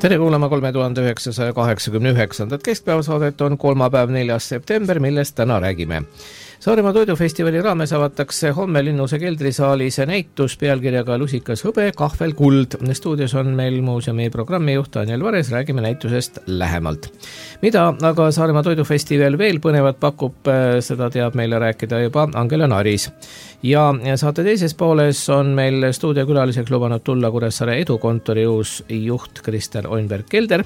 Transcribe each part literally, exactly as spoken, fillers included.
Tere kuulama kolme tuhande üheksasaja kaheksakümne üheksandat keskpäevasaadet on kolmapäev neljas september, millest täna räägime. Saaremaa toidufestivali raames avatakse homme Linnuse keldrisaalis näitus pealkirjaga Lusikas hõbe, kahvel kuld. Stuudios on meil muuseumi programmijuht Daniel Vares, räägime näitusest lähemalt. Mida aga Saaremaa toidufestival veel põnevat pakub, seda teab meile rääkida juba Angela Naris. Ja saate teises pooles on meil stuudiokülaliseks lubanud tulla Kuressaare edukontori uus juht Kristel Oinberg-Kelder.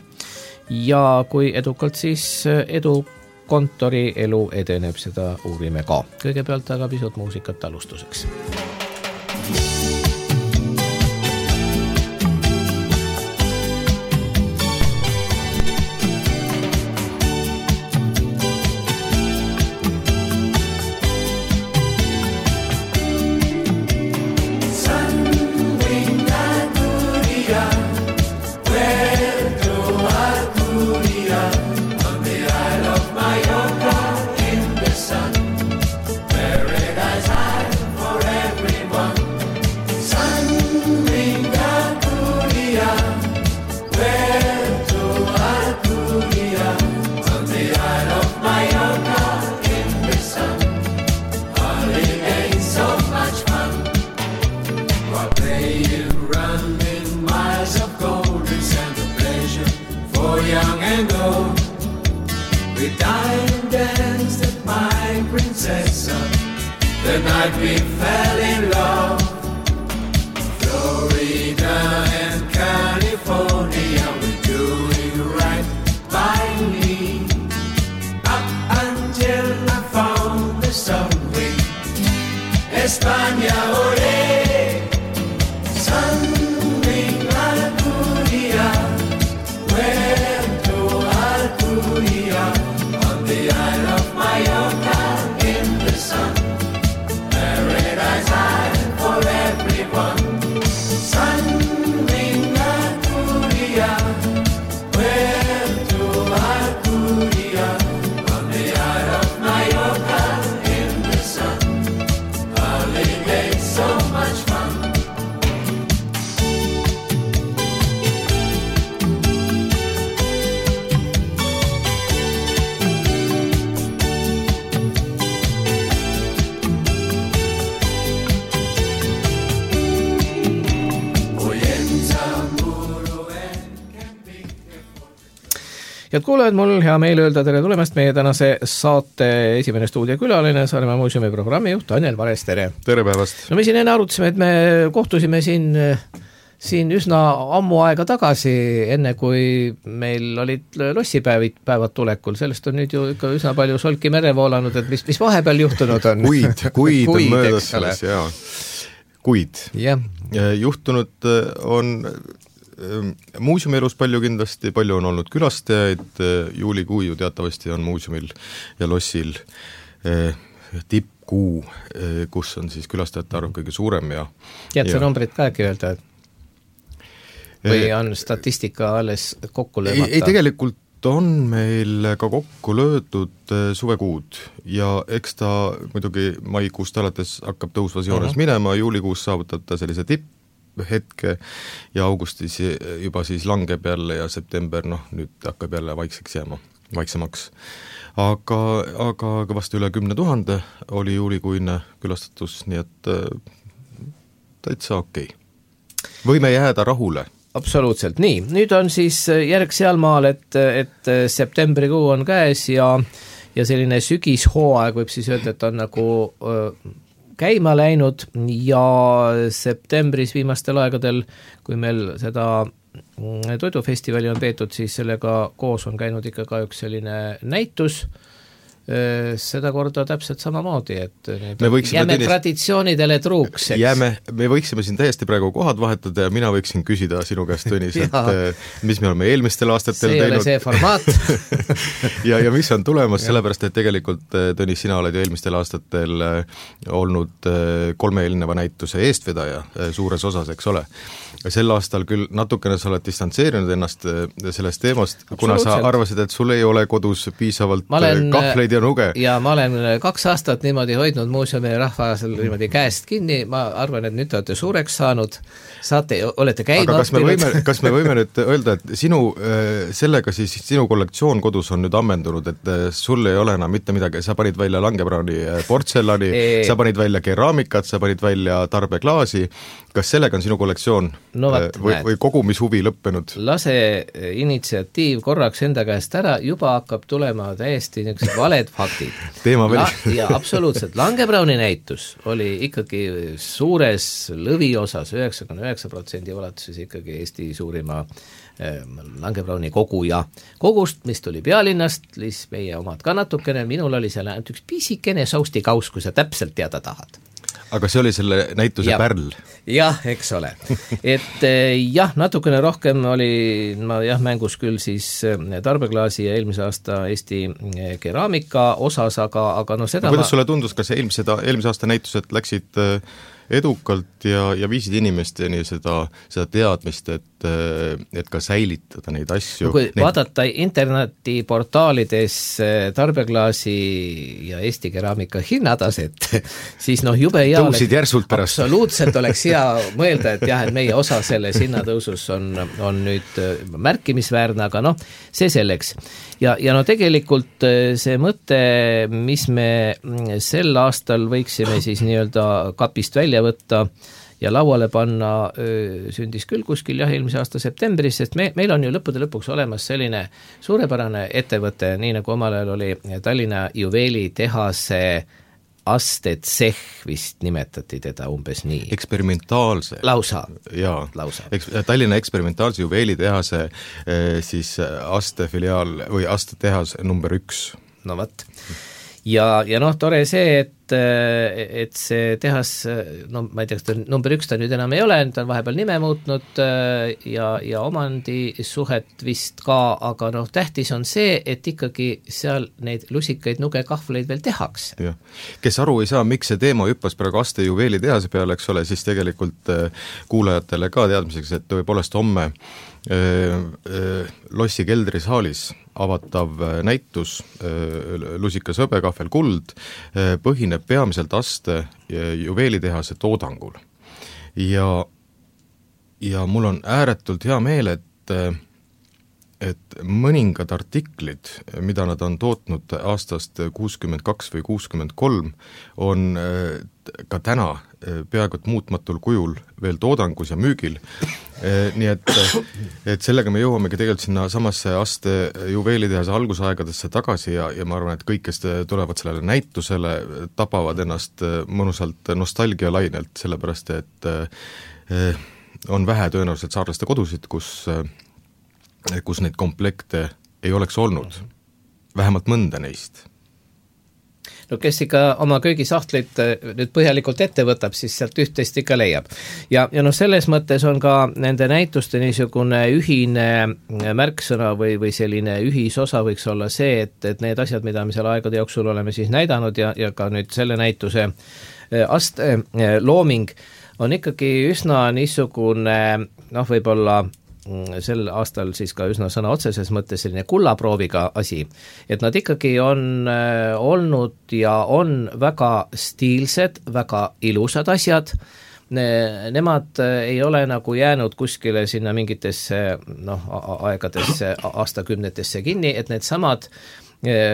Ja kui edukalt siis edu kontori elu edeneb, seda uurime ka. Kõigepealt aga pisut muusikat alustuseks. The night we fell in love, Florida and California, we're doing right by me. Up until I found the subway, España, ole, sunbeam Alcudia, where to Alcudia, on the Isle of Mallorca in the sun. For everyone, sunbeam Alcudia, where to Alcudia, on the Isle of Mallorca in the sun. Holiday, so much fun. Head kuulajad, mul hea meel öelda tere tulemast meie tänase saate esimene stuudiokülaline, Saaremaa muuseumi programmijuht Daniel Vares, tere! Tere päevast! No me siin enne arutasime, et me kohtusime siin, siin üsna ammu aega tagasi, enne kui meil olid lossipäevid päevad tulekul. Sellest on nüüd ju ikka üsna palju solki mere voolanud, et mis, mis vahepeal juhtunud on? Kuid, kuid on möödas selles, jaa. Kuid. Yeah. Juhtunud on muuseumi elus palju kindlasti, palju on olnud külastajaid, juulikuu ju teatavasti on muuseumil ja lossil tippkuu, kus on siis külastajate arv kõige suurem. Ja, Tead see ja... numbrid ka äkki öelda? Või on statistika alles kokku löömata? Ei, ei, tegelikult on meil ka kokku löödud suvekuud ja eks ta muidugi maikuust alates hakkab tõusvas joones uh-huh. minema, juulikuus saavutab ta sellise tipp hetke ja augustis juba siis langeb jälle ja september, noh, nüüd hakkab jälle vaikseks jääma, vaiksemaks. Aga, aga kõvasti üle kümne tuhande oli juulikuine külastatus, nii et täitsa okei. Võime jääda rahule. Absoluutselt, nii. Nüüd on siis järg sealmaal, et, et septembrikuu on käes ja, ja selline sügishooaeg võib siis öelda, et on nagu käima läinud ja septembris viimastel aegadel, kui meil seda toidufestivali on peetud, siis sellega koos on käinud ikka ka üks selline näitus, seda korda täpselt samamoodi, et jääme tenis... traditsioonidele truuks. Jääme, me võiksime siin täiesti praegu kohad vahetada ja mina võiksin küsida sinu käest, Tõnis, et mis me oleme eelmistel aastatel see teinud. See ei ole see formaat. ja, ja mis on tulemas, sellepärast, et tegelikult, Tõnis, sina oled ju eelmistel aastatel olnud kolme eelneva näituse eestvedaja suures osas, eks ole. Sel aastal küll natukene sa oled distantseerinud ennast sellest teemast, kuna sa arvasid, et sul ei ole kodus piisavalt olen... kahvleid ja nuge. ja ma olen kaks aastat niimoodi hoidnud muuseumi rahvasel niimoodi käest kinni, ma arvan, et nüüd te olete suureks saanud, saate, olete käima aga kas me võime, kas me võime nüüd öelda, et sinu, sellega siis sinu kollektsioon kodus on nüüd ammendunud, et sul ei ole enam mitte midagi, sa panid välja Langebrauni portselani, sa panid välja keraamikat, sa panid välja tarbeklaasi, kas sellega on sinu kollektsioon no, vat, või, või kogumishuvi lõppenud? Lase initsiatiiv korraks enda käest ära, juba hakkab tulema täiesti niisugused valed faktid. Teema veel. Ja absoluutselt, Langebrauni näitus oli ikkagi suures lõviosas, üheksakümmend üheksa protsendi ulatuses ikkagi Eesti suurima äh, Langebrauni koguja kogust, mis tuli pealinnast, siis meie omad ka natukene, minul oli seal ainult üks pisikene saustikaus, kui sa täpselt teada tahad. Aga see oli selle näituse ja. Pärl? Jah, eks ole. Et jah, natukene rohkem oli ma jah mängus küll siis tarbeklaasi ja eelmise aasta Eesti keraamika osas, aga, aga no seda no, kuidas ma... sulle tundus, kas eelmise, eelmise aasta näitused läksid edukalt ja, ja viisid inimesteni seda, seda teadmist, et, et ka säilitada neid asju. No, kui neid... vaadata internetiportaalides tarbeklaasi ja Eesti keraamika hinnataset, siis noh, jube hea tõusid järsult pärast. Absoluutselt oleks hea mõelda, et jah, et meie osa selles hinnatõusus on, on nüüd märkimisväärne, aga noh, see selleks. Ja, ja no tegelikult see mõte, mis me sel aastal võiksime siis nii-öelda kapist välja võtta ja lauale panna, sündis küll kuskil jah, eelmise aasta septembris, sest me, meil on ju lõppude lõpuks olemas selline suurepärane ettevõte, nii nagu omal ajal oli Tallinna juveelitehase astetseh, vist nimetati teda umbes nii. Eksperimentaalse. Lausa. Jaa, Lausa. Eks, Tallinna eksperimentaalse juveelitehase siis astefiliaal või astetehas number üks. No vat. Ja, ja noh, tore see, et, et see tehas, no ma ei tea, kas ta number üks ta nüüd enam ei ole, ta on vahepeal nime muutnud ja, ja omandisuhet vist ka, aga noh, tähtis on see, et ikkagi seal neid lusikaid nugekahvleid veel tehakse. Ja. Kes aru ei saa, miks see teema hüppas praegu aste juveelitehase peale, eks ole, siis tegelikult kuulajatele ka teadmiseks, et tõepoolest homme Lossi keldrisaalis avatav näitus lusikas hõbekahvel kuld põhineb peamiselt aste juveelitehase toodangul. Ja, ja mul on ääretult hea meel, et, et mõningad artiklid, mida nad on tootnud aastast kuuskümmend kaks või kuuskümmend kolm, on ka täna peaaegu et muutmatul kujul veel toodangus ja müügil. Nii et, et sellega me jõuamegi tegelikult sinna samasse aste juveelitehase algusaegadesse tagasi ja, ja ma arvan, et kõik, kes tulevad sellele näitusele, tapavad ennast mõnusalt nostalgialainelt, sellepärast et on vähe tõenäoliselt saarlaste kodusid, kus, kus neid komplekte ei oleks olnud, vähemalt mõnda neist. No kes ikka oma köögisahtlit nüüd põhjalikult ette võtab, siis sealt üht-teist ikka leiab. Ja, ja noh, selles mõttes on ka nende näituste niisugune ühine märksõna või, või selline ühisosa võiks olla see, et, et need asjad, mida me selle aegade jooksul oleme siis näidanud ja, ja ka nüüd selle näituse aste looming on ikkagi üsna niisugune, noh, võib-olla sel aastal siis ka üsna sõna otseses mõttes selline kullaprooviga asi, et nad ikkagi on äh, olnud ja on väga stiilsed, väga ilusad asjad, ne, nemad ei ole nagu jäänud kuskile sinna mingitesse noh, aegadesse, aastakümnetesse kinni, et need samad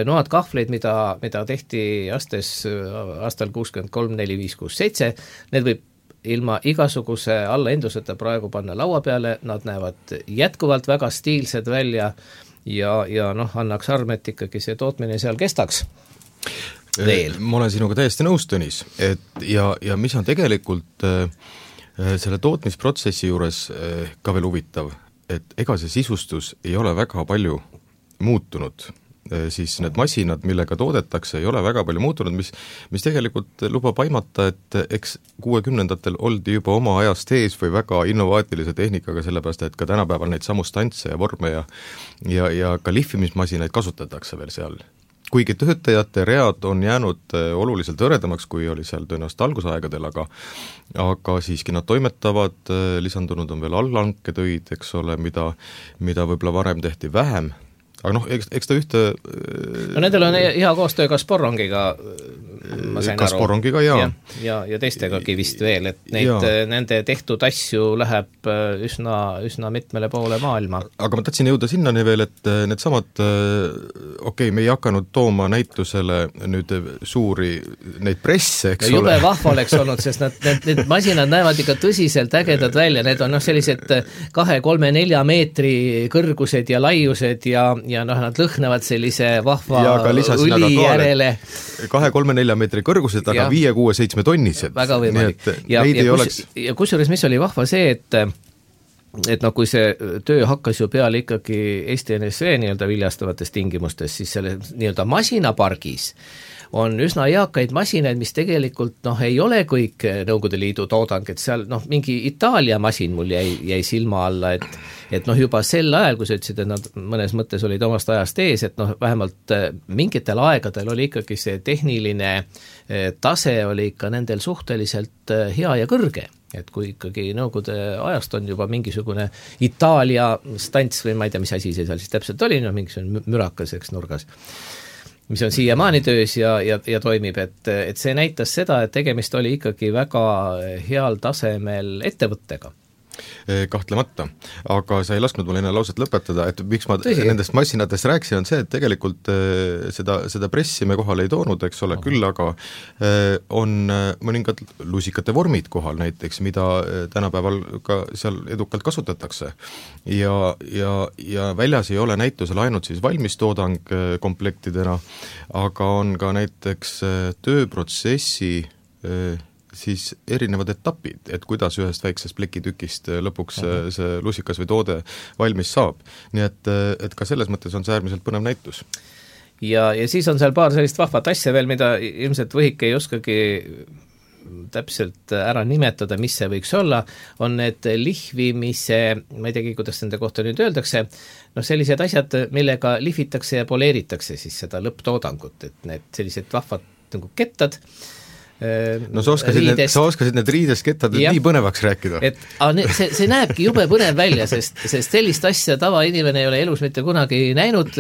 noad kahvleid, mida, mida tehti astes aastal kuuskümmend kolm, neli, viis, kuus, seitse, need võib ilma igasuguse allaenduseta praegu panna laua peale, nad näevad jätkuvalt väga stiilsed välja ja, ja noh, annaks arm, et ikkagi see tootmine seal kestaks veel. Ma olen sinuga täiesti nõus, Tõnis, et ja, ja mis on tegelikult äh, selle tootmisprotsessi juures äh, ka veel huvitav, et ega see sisustus ei ole väga palju muutunud, siis need masinad, millega toodetakse, ei ole väga palju muutunud, mis, mis tegelikult lubab aimata, et eks kuuekümnendatel oldi juba oma ajast ees või väga innovaatilise tehnikaga, sellepärast et ka tänapäeval neid samu stantse ja vorme ja, ja, ja ka lihvimismasinaid kasutatakse veel seal. Kuigi töötajate read on jäänud oluliselt hõredamaks, kui oli seal tõenäoliselt algusaegadel, aga, aga siiski nad toimetavad, lisandunud on veel allanketöid, eks ole, mida, mida võib-olla varem tehti vähem, aga noh, eks, eks ta ühte no nendel on hea koostöö ka Sporrongiga, ma sain ka aru. Sporrongiga, jaa. Ja, ja, ja teistegagi vist veel, et neid, nende tehtud asju läheb üsna, üsna mitmele poole maailma. Aga ma tahtsin jõuda sinnani veel, et need samad, okei okay,, me ei hakanud tooma näitusele nüüd suuri neid presse, eks ja ole. Jube vahva oleks olnud, sest nad, need, need masinad näevad ikka tõsiselt ägedad välja, need on noh, sellised kahe, kolme, nelja meetri kõrgused ja laiused ja, ja noh, nad lõhnavad sellise vahva õli järele. kahe, kolme, nelja meetri kõrgused, aga viie, kuue, seitsme tonnised. Väga võimalik. Ja, ja, kus, oleks... ja kusjuures, mis oli vahva see, et et noh, kui see töö hakkas ju peale ikkagi Eesti N S V nii-öelda viljastavates tingimustes, siis selle nii-öelda masinapargis on üsna eakaid masinaid, mis tegelikult noh, ei ole kõik Nõukogude Liidu toodang, et seal noh, mingi Itaalia masin mul jäi, jäi silma alla, et et noh, juba sel ajal, kui sa ütlesid, et nad mõnes mõttes olid omast ajast ees, et noh, vähemalt mingitel aegadel oli ikkagi see tehniline tase oli ikka nendel suhteliselt hea ja kõrge. Et kui ikkagi Nõukogude ajast on juba mingisugune Itaalia stants või ma ei tea, mis asi see seal siis täpselt oli, no mingisugune mürakas, eks nurgas, mis on siiamaani töös ja, ja, ja toimib, et, et see näitas seda, et tegemist oli ikkagi väga heal tasemel ettevõttega. Kahtlemata, aga sa ei lasknud mul enne lauset lõpetada, et miks ma Tõsi. nendest massinatest rääkisin, on see, et tegelikult seda, seda pressi me kohal ei toonud, eks ole, küll aga on mõningad lusikate vormid kohal näiteks, mida tänapäeval ka seal edukalt kasutatakse. Ja, ja, ja väljas ei ole näitusel ainult siis valmistoodang komplektidena, aga on ka näiteks tööprotsessi siis erinevad etapid, et kuidas ühest väiksest plekitükist lõpuks uh-huh. see lusikas või toode valmis saab. Nii et, et ka selles mõttes on see äärmiselt põnev näitus. Ja, ja siis on seal paar sellist vahvat asja veel, mida ilmselt Võhik ei oskagi täpselt ära nimetada, mis see võiks olla, on need lihvimise, ma ei teagi, kuidas nende kohta nüüd öeldakse, noh sellised asjad, millega lihvitakse ja poleeritakse siis seda lõpptoodangut, et need sellised vahvad nagu kettad, no sa oskasid, need, sa oskasid need riideskettad nii põnevaks rääkida. Et, ne, see, see näebki jube põnev välja, sest, sest sellist asja tavainimene ei ole elus mitte kunagi näinud,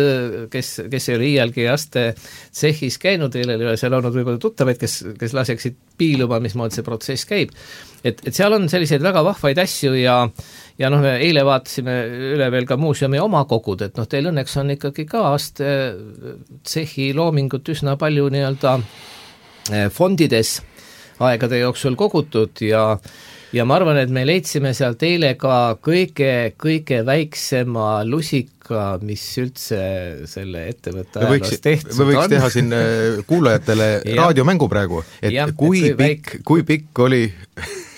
kes, kes ei ole iialgi aste tsehhis käinud, ei ole seal olnud võib-olla tuttavaid, kes, kes laseksid piiluma, mismoodi see protsess käib. Et, et seal on selliseid väga vahvaid asju ja ja noh, me eile vaatasime üle veel ka muuseumi oma kogud, et noh, teil õnneks on ikkagi ka aste tsehhi loomingut üsna palju nii-öelda fondides aegade jooksul kogutud ja, ja ma arvan, et me leidsime sealt eile ka kõige, kõige väiksema lusika, mis üldse selle ettevõtte ajaloos tehtud on. Me võiks teha siin kuulajatele raadiomängu praegu, et ja, kui, et kui, pikk, kui pikk oli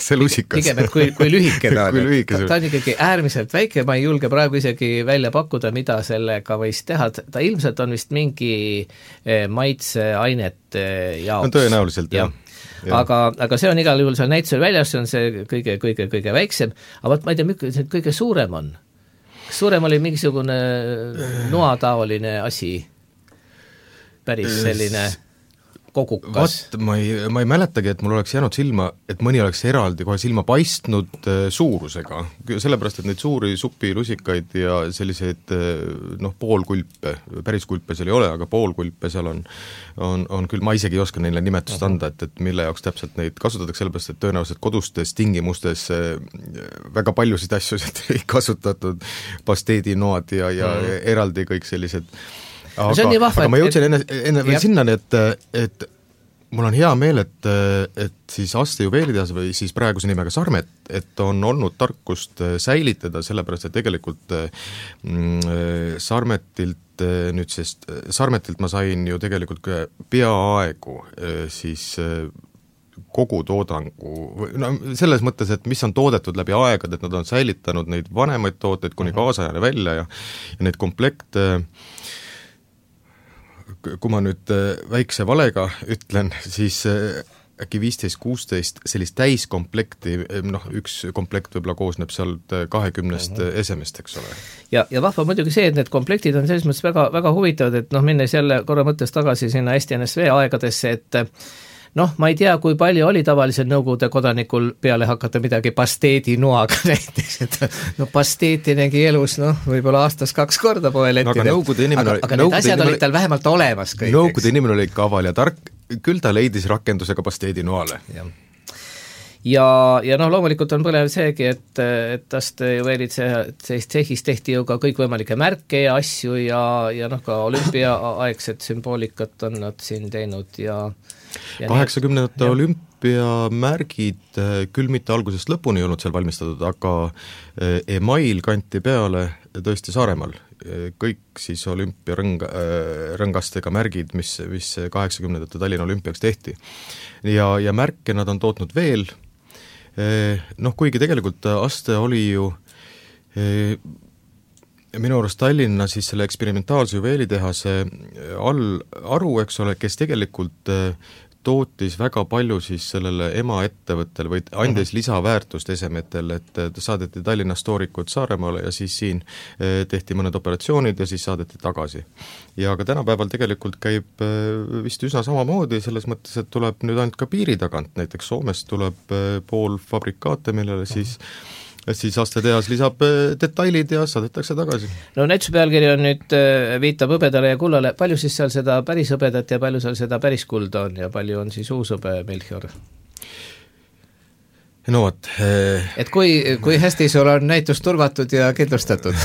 see lusikas. Pigem, et kui, kui lühike ta on. Ta, ta on ikkagi äärmiselt väike, ma ei julge praegu isegi välja pakkuda, mida sellega võis teha. Ta ilmselt on vist mingi maitseainet jaoks. No tõenäoliselt, jah. Ja. Aga, aga see on igal juhul seal näitusel väljas, see on see kõige, kõige, kõige väiksem, aga ma ei tea, mis see kõige suurem on. Kas suurem oli mingisugune noataoline asi? Päris selline kogukas. Vat, ma ei, ma ei mäletagi, et mul oleks jäänud silma, et mõni oleks eraldi kohe silma paistnud suurusega, sellepärast, et neid suuri supilusikaid ja selliseid noh, poolkulpe, päris kulpe seal ei ole, aga poolkulpe seal on, on, on küll, ma isegi ei oska neile nimetust anda, et, et mille jaoks täpselt neid kasutatakse, sellepärast, et tõenäoliselt kodustes tingimustes väga paljusid asju ei kasutatud, pasteedinoad ja, ja mm. eraldi kõik sellised. Aga, vahva, aga ma jõudsin enne, enne veel sinnani, et, et mul on hea meel, et, et siis Aste juveelitehas või siis praeguse nimega Sarmet, et on olnud tarkust säilitada, sellepärast, et tegelikult mm, Sarmetilt nüüd, sest Sarmetilt ma sain ju tegelikult peaaegu siis kogu toodangu, no selles mõttes, et mis on toodetud läbi aegad, et nad on säilitanud neid vanemaid tooteid kuni kaasajane välja ja, ja neid komplekte kui ma nüüd väikse valega ütlen, siis äkki viisteist kuusteist sellist täiskomplekti, noh üks komplekt võib-olla koosneb sealt kahekümnest uh-huh. esemest, eks ole. Ja, ja vahva muidugi see, et need komplektid on selles mõttes väga, väga huvitavad, et noh, minnes jälle korra mõttes tagasi sinna Eesti N S V aegadesse, et noh, ma ei tea, kui palju oli tavalisel Nõukogude kodanikul peale hakata midagi pasteedi noaga näiteks, et no pasteeti nägi elus, noh, võib-olla aastas kaks korda poelettidel. No, aga aga, aga need asjad olid tal vähemalt olemas kõik. Nõukogude inimene oli kaval ja tark, küll ta leidis rakendusega pasteedi noale. Jah. ja, ja noh, loomulikult on põlev seegi, et, et tast ju veelid see, sellist tsehhis tehti ju ka kõikvõimalikke märke ja asju ja, ja noh, ka olümpiaaegset sümboolikat on nad siin teinud ja, ja kaheksakümnendate olümpiamärgid küll mitte algusest lõpuni ei olnud seal valmistatud, aga email kanti peale tõesti Saaremaal. Kõik siis olümpiarõng, rõngastega märgid, mis, mis kaheksakümnendate Tallinna olümpiaks tehti. Ja, ja märke nad on tootnud veel. Noh, kuigi tegelikult aste oli ju minu arust Tallinna siis selle eksperimentaalse juveelitehase all aru, eks ole, kes tegelikult tootis väga palju siis sellele ema ettevõttel või andis mm-hmm. lisaväärtust esemetel, et saadeti Tallinnas toorikud Saaremaale ja siis siin tehti mõned operatsioonid ja siis saadeti tagasi. Ja ka tänapäeval tegelikult käib vist üsna samamoodi, selles mõttes, et tuleb nüüd ainult ka piiri tagant, näiteks Soomest tuleb pool fabrikaate, millele siis siis aastatehas lisab detailid ja saadetakse tagasi. No näituse pealkiri on nüüd, viitab hõbedale ja kullale, palju siis seal seda päris hõbedat ja palju seal seda päris kulda on ja palju on siis uus hõbe Melchior? No võt. Et kui, kui hästi sul on näitus turvatud ja kindlustatud?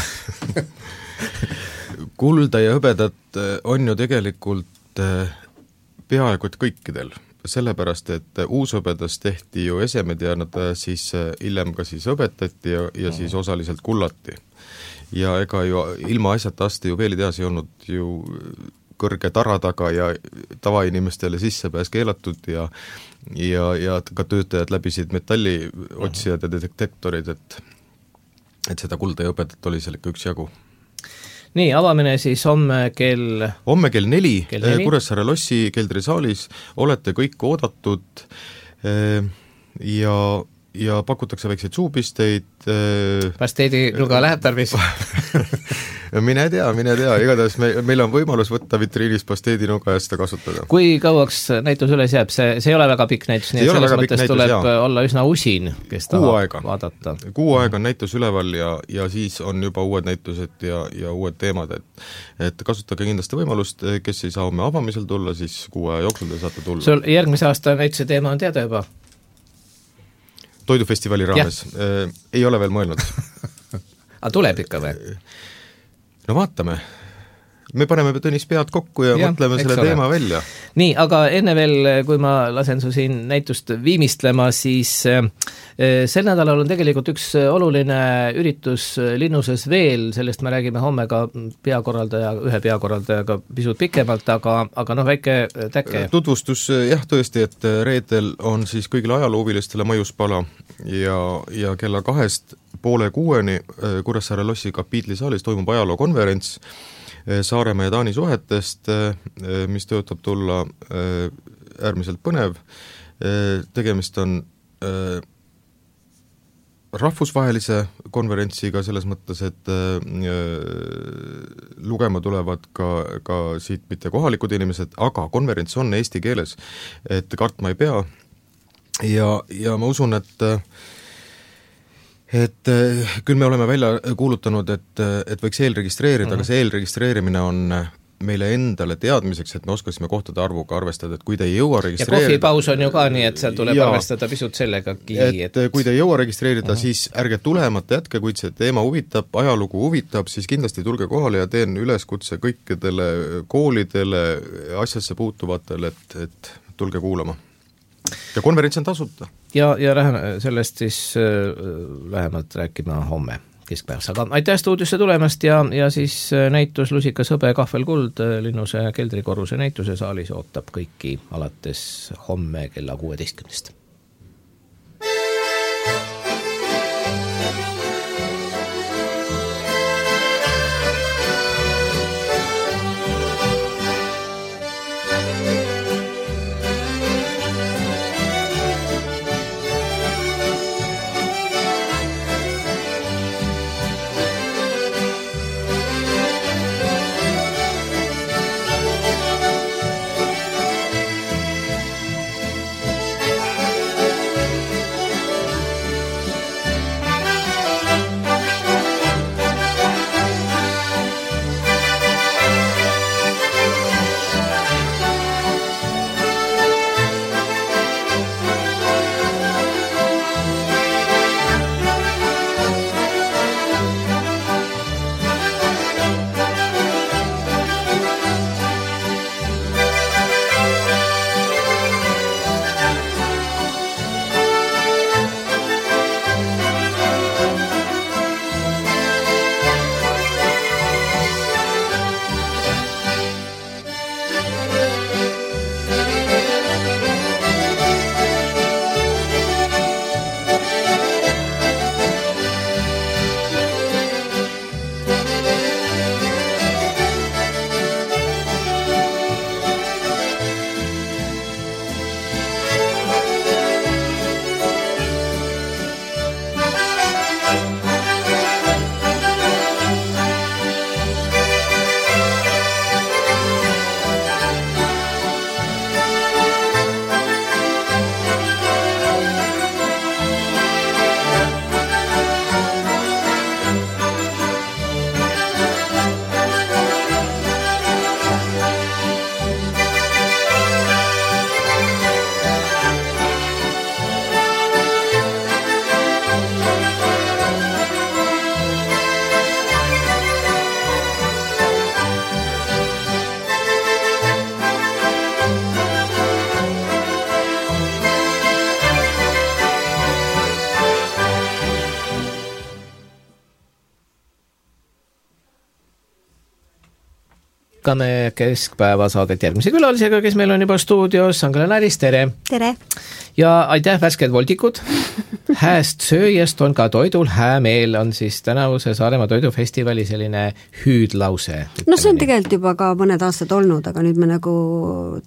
Kulda ja hõbedat on ju tegelikult peaaegu et kõikidel. Sellepärast, et uushõbedas tehti ju esemed ja nad siis hiljem ka siis õbetati ja, ja siis osaliselt kullati. Ja ega ju ilma asjata aste juveelitehas ei olnud ju kõrge tara taga ja tavainimestele sissepääs keelatud ja, ja, ja ka töötajad läbisid metalliotsijad ja detektorid, et, et seda kulda ja õbedat oli seal ikka üks jagu. Nii, avamine siis homme kell... Homme kell neli, neli. Kuressaare lossi keldrisaalis, olete kõik oodatud ja, ja pakutakse väikseid suupisteid. Pasteedi nuga läheb tarvis? Mine tea, mine tea, igatahes me, meil on võimalus võtta vitriinis pasteedi nuga ja seda kasutada. Kui kauaks näitus üles jääb, see, see ei ole väga pikk näitus, nii et selles mõttes näitus, tuleb jaa. Olla üsna usin, kes tahab aega. Vaadata. Kuu aega on näitus üleval ja, ja siis on juba uued näitused ja, ja uued teemad, et, et kasutage kindlasti võimalust, kes ei saa homme avamisel tulla, siis kuu aja jooksul te saate tulla. Sul järgmise aasta näituse teema on teada juba? Toidufestivali raames. Äh, ei ole veel mõelnud. Aga tuleb ikka või? No vaatame. Me paneme Tõnis pead kokku ja, ja mõtleme selle ole. Teema välja. Nii, aga enne veel, kui ma lasen su siin näitust viimistlema, siis äh, sel nädalal on tegelikult üks oluline üritus Linnuses veel, sellest me räägime homme ka peakorraldaja, ühe peakorraldajaga pisut pikemalt, aga, aga noh, väike täkke. Tutvustus, jah, tõesti, et reedel on siis kõigile ajaloovilistele Maiuspala ja, ja kella kahest poole kuueni Kuressaare lossi kapiitlisaalis toimub ajalookonverents Saaremaa ja Taani suhetest, mis töötab tulla äärmiselt põnev. Tegemist on rahvusvahelise konverentsiga selles mõttes, et lugema tulevad ka, ka siit mitte kohalikud inimesed, aga konverents on eesti keeles, et kartma ei pea. Ja, ja ma usun, et et küll me oleme välja kuulutanud, et, et võiks eelregistreerida, mm-hmm. aga see eelregistreerimine on meile endale teadmiseks, et me oskasime kohtade arvuga arvestada, et kui te ei jõua registreerida... Ja kohvipaus on ju ka nii, et seal tuleb ja, arvestada pisut sellegagi. Et, et kui te ei jõua registreerida, mm-hmm. siis ärge tulemata jätke, kuid see teema huvitab, ajalugu huvitab, siis kindlasti tulge kohale ja teen üleskutse kõikidele koolidele, asjasse puutuvatele, et, et tulge kuulama. Ja konverents on tasuta. Ja, ja läheme sellest siis äh, lähemalt rääkima homme keskpäevas. Aga aitäh stuudiosse tulemast ja, ja siis näitus Lusikas hõbe kahvel kuld Linnuse keldrikorruse näituse saalis ootab kõiki alates homme kella kuueteistkümnest. jätkame keskpäeva saadet järgmise külalisega, kes meil on juba stuudios, Angela Näris, tere! Tere! Ja aitäh, värsked voldikud! Hääst sööjast on ka toidul häämeel, on siis tänavuse Saaremaa toidufestivali selline hüüdlause. No see on tegelikult juba ka mõned aastad olnud, aga nüüd me nagu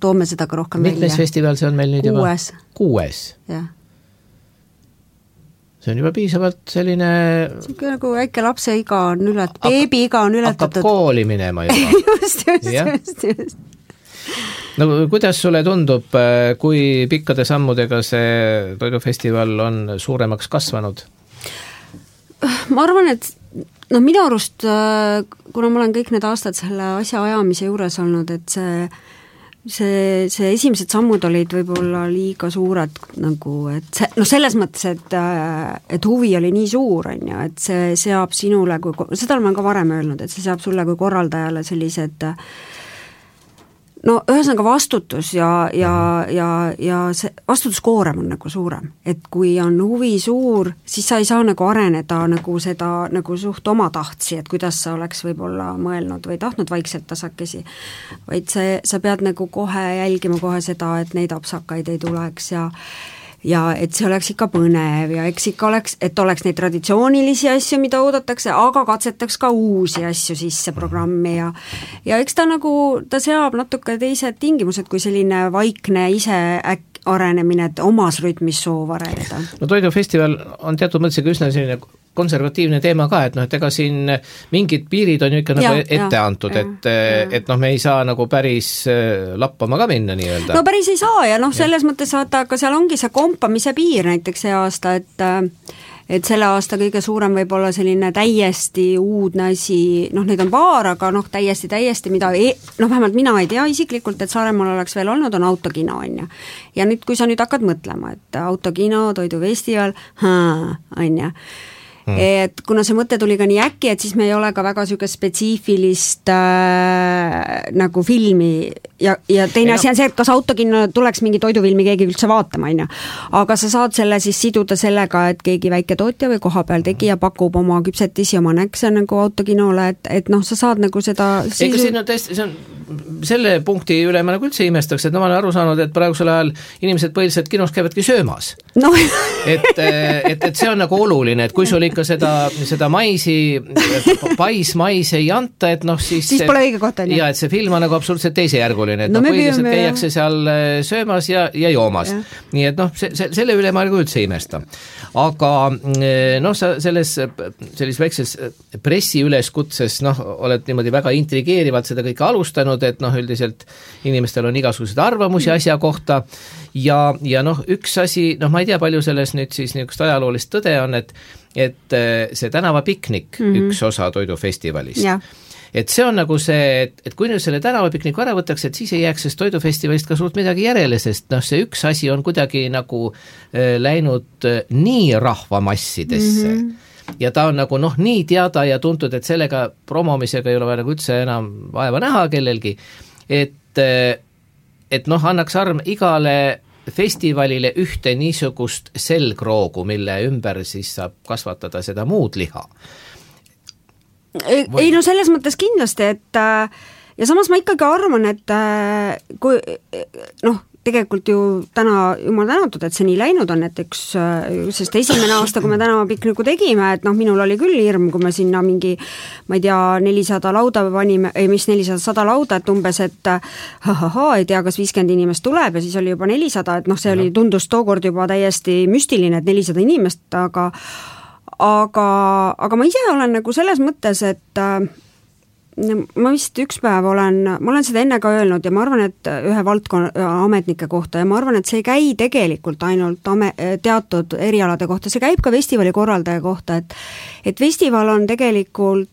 toome seda ka rohkem Mitmes välja. Mitmes festival see on meil nüüd juba? Kuues. Kuues? Jah. See on juba piisavalt selline... See on nagu väike lapse iga on ület... beebi iga on ületatud. Hakkab kooli minema juba. just, just, just, just. No kuidas sulle tundub, kui pikkade sammudega see toidufestival on suuremaks kasvanud? Ma arvan, et no minu arust, kuna ma olen kõik need aastad selle asja ajamise juures olnud, et see see, see esimesed sammud olid võib-olla liiga suured nagu, et see, no selles mõttes, et et huvi oli nii suur, on ju, et see seab sinule, kui, seda olen ka varem öelnud, et see seab sulle kui korraldajale sellised no ühesõnaga vastutus ja, ja, ja, ja see vastutuskoorem on nagu suurem, et kui on huvi suur, siis sa ei saa nagu areneda nagu seda nagu suht oma tahtsi, et kuidas sa oleks võib-olla mõelnud või tahtnud vaikselt tasakesi, vaid see, sa pead nagu kohe jälgima kohe seda, et neid apsakaid ei tuleks ja ja et see oleks ikka põnev ja eks ikka oleks, et oleks neid traditsioonilisi asju, mida oodatakse, aga katsetaks ka uusi asju sisse programmi ja ja eks ta nagu, ta seab natuke teised tingimused kui selline vaikne ise äk- arenemine, et omas rütmis soov areneda. No toidufestival on teatud mõttes üsna selline konservatiivne teema ka, et noh, et ega siin mingid piirid on ju ikka ja, nagu ette ja, antud, et, et noh, me ei saa nagu päris lappama ka minna nii-öelda. No päris ei saa ja noh, selles ja. mõttes vaata, aga seal ongi see kompamise piir näiteks see aasta, et et selle aasta kõige suurem võib olla selline täiesti uudne asi, noh, neid on paar, aga noh, täiesti, täiesti, mida e-, noh, vähemalt mina ei tea isiklikult, et Saaremaal oleks veel olnud, on autokino, on ju. Ja nüüd, kui sa nüüd hakkad mõtlema, et autokino, toidufestival, on ju, Hmm. et kuna see mõte tuli ka nii äkki, et siis me ei ole ka väga niisugust spetsiifilist äh, nagu filmi ja, ja teine asi on see, et kas autokinno tuleks mingi toidufilmi keegi üldse vaatama, on ju. Aga sa saad selle siis siduda sellega, et keegi väike tootja või kohapeal tegija pakub oma küpsetisi, oma näkse nagu autokinole, et, et noh, sa saad nagu seda sisu... Ega siin on tõesti, see on selle punkti üle ma nagu üldse imestaks, et no ma olen aru saanud, et praegusel ajal inimesed põhiliselt kinos käivadki söömas. No. et, et, et see on nagu oluline, et kui sul ikka seda, seda maisi, pais mais ei anta, et noh siis siis pole õige koht, on ju. Ja et see film on nagu absoluutselt teisejärguline, et no, no põhiliselt käiakse seal söömas ja, ja joomas. Ja. Nii et noh, se, se, selle üle ma nagu üldse imesta. Aga noh, sa selles, selles väikses pressiüleskutses noh, oled niimoodi väga intrigeerivalt seda kõike alustanud, et noh, üldiselt inimestel on igasuguseid arvamusi asja kohta ja, ja noh, üks asi, noh, ma ei tea, palju selles nüüd siis niisugust ajaloolist tõde on, et, et see tänavapiknik, mm -hmm. üks osa toidufestivalist, ja. Et see on nagu see, et, et kui nüüd selle tänavapikniku ära võtaks, et siis ei jääks sellest toidufestivalist ka suurt midagi järele, sest noh, see üks asi on kuidagi nagu äh, läinud äh, nii rahvamassidesse, mm -hmm. ja ta on nagu noh, nii teada ja tuntud, et sellega promomisega ei ole vaja nagu üldse enam vaeva näha kellelgi, et, et noh, annaks arm igale festivalile ühte niisugust selgroogu, mille ümber siis saab kasvatada seda muud liha. Ei, ei no selles mõttes kindlasti, et ja samas ma ikkagi arvan, et kui noh, tegelikult ju täna jumal tänatud, et see nii läinud on, et üks, sest esimene aasta, kui me tänavapikniku tegime, et noh, minul oli küll hirm, kui me sinna mingi, ma ei tea, nelisada lauda panime, ei mis nelisada, sada lauda, et umbes, et ha-ha-ha, ei tea, kas viiskümmend inimest tuleb ja siis oli juba nelisada, et noh, see oli, tundus tookord juba täiesti müstiline, et nelisada inimest, aga aga, aga ma ise olen nagu selles mõttes, et ma vist üks päev olen, ma olen seda enne ka öelnud ja ma arvan, et ühe valdkonna ametnike kohta ja ma arvan, et see ei käi tegelikult ainult ame, teatud erialade kohta, see käib ka festivali korraldaja kohta, et et festival on tegelikult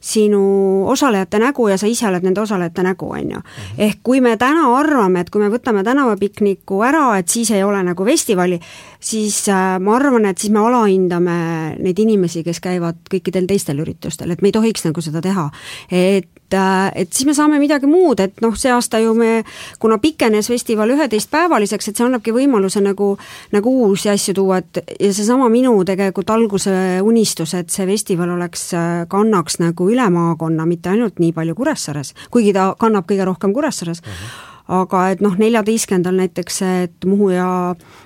sinu osalejate nägu ja sa ise oled nende osalejate nägu, on ju. Ehk kui me täna arvame, et kui me võtame tänavapikniku ära, et siis ei ole nagu festivali, siis ma arvan, et siis me alahindame neid inimesi, kes käivad kõikidel teistel üritustel, et me ei tohiks nagu seda teha. Et et siis me saame midagi muud, et noh, see aasta ju me, kuna pikenes festival üheteist päevaliseks, et see annabki võimaluse nagu, nagu uusi asju tuua, et ja seesama minu tegelikult alguse unistus, et see festival oleks, kannaks nagu üle maakonna, mitte ainult nii palju Kuressaares, kuigi ta kannab kõige rohkem Kuressaares, uh-huh. aga et noh, neljateistkümnendal näiteks, et Muhu ja,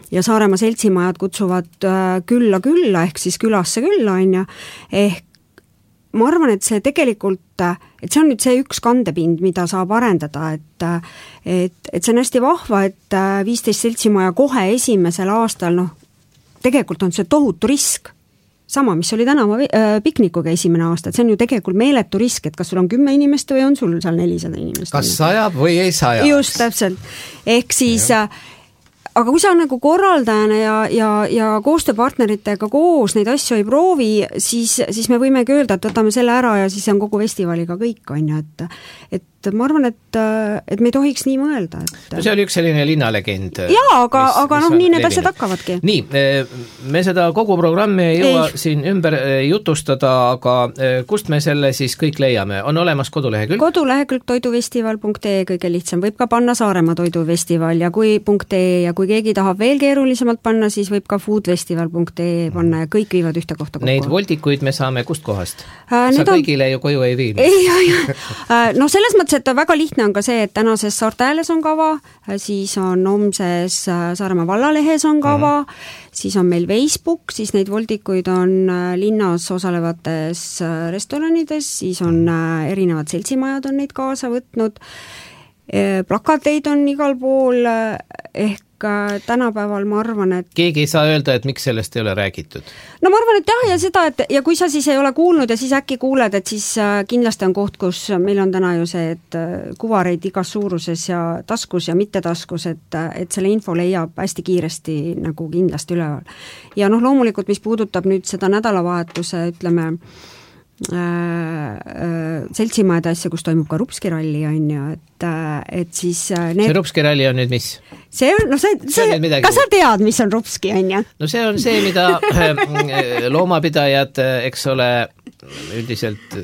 ja Saaremaa seltsimajad kutsuvad külla külla, ehk siis külasse külla, on ju, ehk ma arvan, et see tegelikult, et see on nüüd see üks kandepind, mida saab arendada, et, et, et see on hästi vahva, et viisteist seltsimaja kohe esimesel aastal, noh, tegelikult on see tohutu risk. Sama, mis oli tänava piknikuga esimene aasta, et see on ju tegelikult meeletu risk, et kas sul on kümme inimest või on sul seal nelisada inimest. Kas sajab või ei sajab? Just, täpselt. Ehk siis... Ja. Aga kui sa nagu korraldajana ja, ja, ja koostööpartneritega koos neid asju ei proovi, siis, siis me võimegi öelda, et võtame selle ära ja siis on kogu festivaliga kõik, on ju, et, et ma arvan, et, et me ei tohiks nii mõelda. Et... No see oli üks selline linnalegend. Jaa, aga, mis, aga mis noh, nii need asjad hakkavadki. Nii, me seda kogu programmi ei jõua ei. siin ümber jutustada, aga kust me selle siis kõik leiame? On olemas kodulehekülg? Kodulehekülg toidufestival punkt ee kõige lihtsam. Võib ka panna Saaremaa toidufestival ja kui .ee ja kui keegi tahab veel keerulisemalt panna, siis võib ka foodfestival punkt ee panna ja kõik viivad ühte kohta kokku. Neid voldikuid me saame kust kohast? Äh, Sa kõigile on... ju koju ei viinud. Ei, ei, no selles mõttes, et väga lihtne on ka see, et tänases Saarte Hääles on kava, siis on homses Saaremaa vallalehes on kava, mm-hmm. siis on meil Facebook, siis neid voldikuid on linnas osalevates restoranides, siis on erinevad seltsimajad on neid kaasa võtnud, plakateid on igal pool, ehk tänapäeval ma arvan, et... Keegi ei saa öelda, et miks sellest ei ole räägitud? No ma arvan, et jah, ja seda, et ja kui sa siis ei ole kuulnud ja siis äkki kuuled, et siis kindlasti on koht, kus meil on täna ju see, et kuvareid igas suuruses ja taskus ja mitte taskus, et, et selle info leiab hästi kiiresti nagu kindlasti üleval. Ja noh, loomulikult, mis puudutab nüüd seda nädalavahetuse, ütleme, Äh, äh, seltsimajade asja, kus toimub ka Rupski-ralli on ju, et, et siis need... See Rupski-ralli on nüüd mis? See on, no see, see, see kas sa tead, mis on Rupski on ju? No see on see, mida loomapidajad, eks ole, üldiselt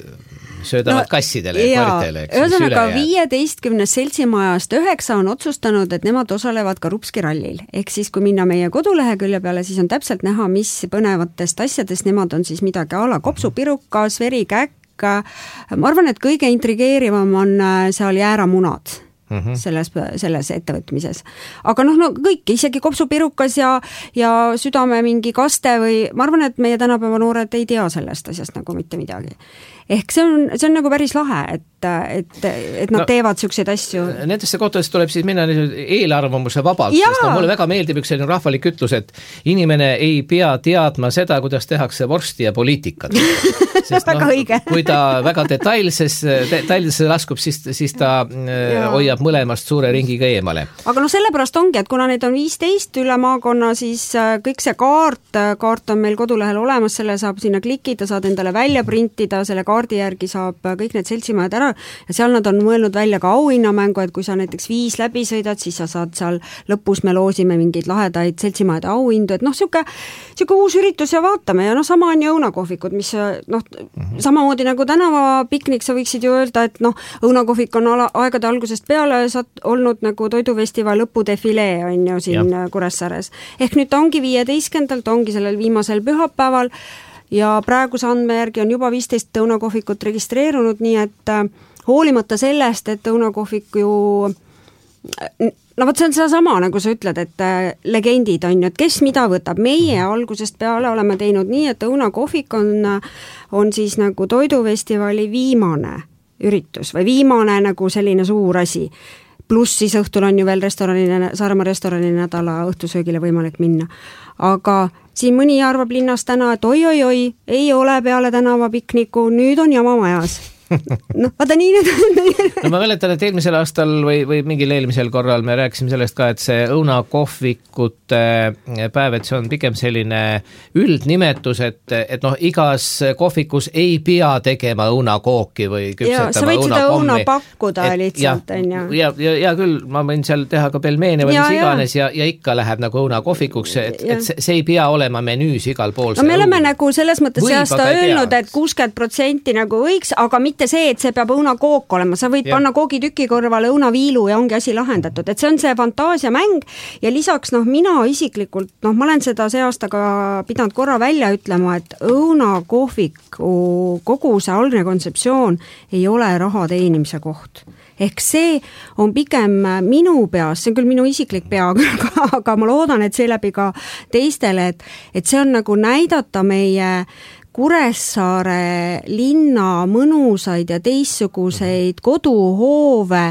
söödavad no, kassidele ja koritele. Ühesõnaga viieteistkümnest seltsimajast üheksa on otsustanud, et nemad osalevad ka Rupski-rallil. Ehk siis, kui minna meie kodulehekülje peale, siis on täpselt näha, mis põnevatest asjadest nemad on siis midagi ala kopsupirukas, verikäkk. Ma arvan, et kõige intrigeerivam on seal jääramunad. Mm-hmm. selles, selles ettevõtmises. Aga noh, no kõik, isegi kopsupirukas ja, ja südame mingi kaste või ma arvan, et meie tänapäeva noored ei tea sellest asjast nagu mitte midagi. Ehk see on, see on nagu päris lahe, et, et, et nad no, teevad selliseid asju. Nendesse kohtadesse tuleb siis minna eelarvamuse vabalt, ja. Sest no, mulle väga meeldib üks selline rahvalik ütlus, et inimene ei pea teadma seda, kuidas tehakse vorsti ja poliitikat. Sest väga no, õige. Kui ta väga detailses, detailsesse laskub, siis, siis ta ja. Hoiab mõlemast suure ringiga eemale. Aga no sellepärast ongi, et kuna neid on viisteist üle maakonna, siis kõik see kaart, kaart on meil kodulehel olemas, selle saab sinna klikida, saad endale välja printida, selle kaardi järgi saab kõik need seltsimajad ära ja seal nad on mõelnud välja ka auhinnamängu, et kui sa näiteks viis läbi sõidad, siis sa saad seal lõpus me loosime mingeid lahedaid seltsimajade auhindu, et noh, siuke, siuke uus üritus ja vaatame ja noh, sama on ju õunakohvikud, mis noh, mm-hmm. samamoodi nagu tänavapiknik, sa võiksid ju öelda, et noh, õunakohvik on ala, aegade algusest peale saad olnud nagu toidufestival lõpudefilee on ju siin ja. Kuressaares. Ehk nüüd ta ongi viieteistkümnendal, ta ongi sellel viimasel pühapäeval ja praeguse andme järgi on juba viisteist õunakohvikut registreerunud, nii et äh, hoolimata sellest, et õunakohvik ju no võt see on seda sama, nagu sa ütled, et äh, legendid on ju, et kes mida võtab. Meie algusest peale oleme teinud nii, et õunakohvik on, on siis nagu toidufestivali viimane üritus või viimane nagu selline suur asi. Pluss siis õhtul on ju veel restoranine, Saaremaa restorani nädala õhtusöögile võimalik minna. Aga siin mõni arvab linnas täna, et oi-oi-oi, ei ole peale tänavapikniku, nüüd on jama majas. noh, vaata nii nüüd no ma mäletan, et eelmisel aastal või, või mingil eelmisel korral me rääkisime sellest ka, et see õunakohvikute päev, et see on pigem selline üldnimetus, et, et noh, igas kohvikus ei pea tegema õunakooki või küpsetama õunakommi. Sa võid seda õuna pakkuda et, lihtsalt, on ju. Ja, ja, ja küll, ma võin seal teha ka pelmeene või ja, mis iganes ja, ja ikka läheb nagu õunakohvikuks, et, et see, see ei pea olema menüüs igal pool. No me oleme õun. Nagu selles mõttes see aasta öelnud, et kuuskümmend protsenti nagu võiks, aga mitte mitte see, et see peab õunakook olema, sa võid ja. panna koogitüki kõrvale õunaviilu ja ongi asi lahendatud, et see on see fantaasiamäng ja lisaks noh, mina isiklikult, noh, ma olen seda see aasta ka pidanud korra välja ütlema, et õunakohviku kogu see algne kontseptsioon ei ole raha teenimise koht. Ehk see on pigem minu peas, see on küll minu isiklik pea, aga ma loodan, et seeläbi ka teistele, et, et see on nagu näidata meie Kuressaare linna mõnusaid ja teistsuguseid koduhoove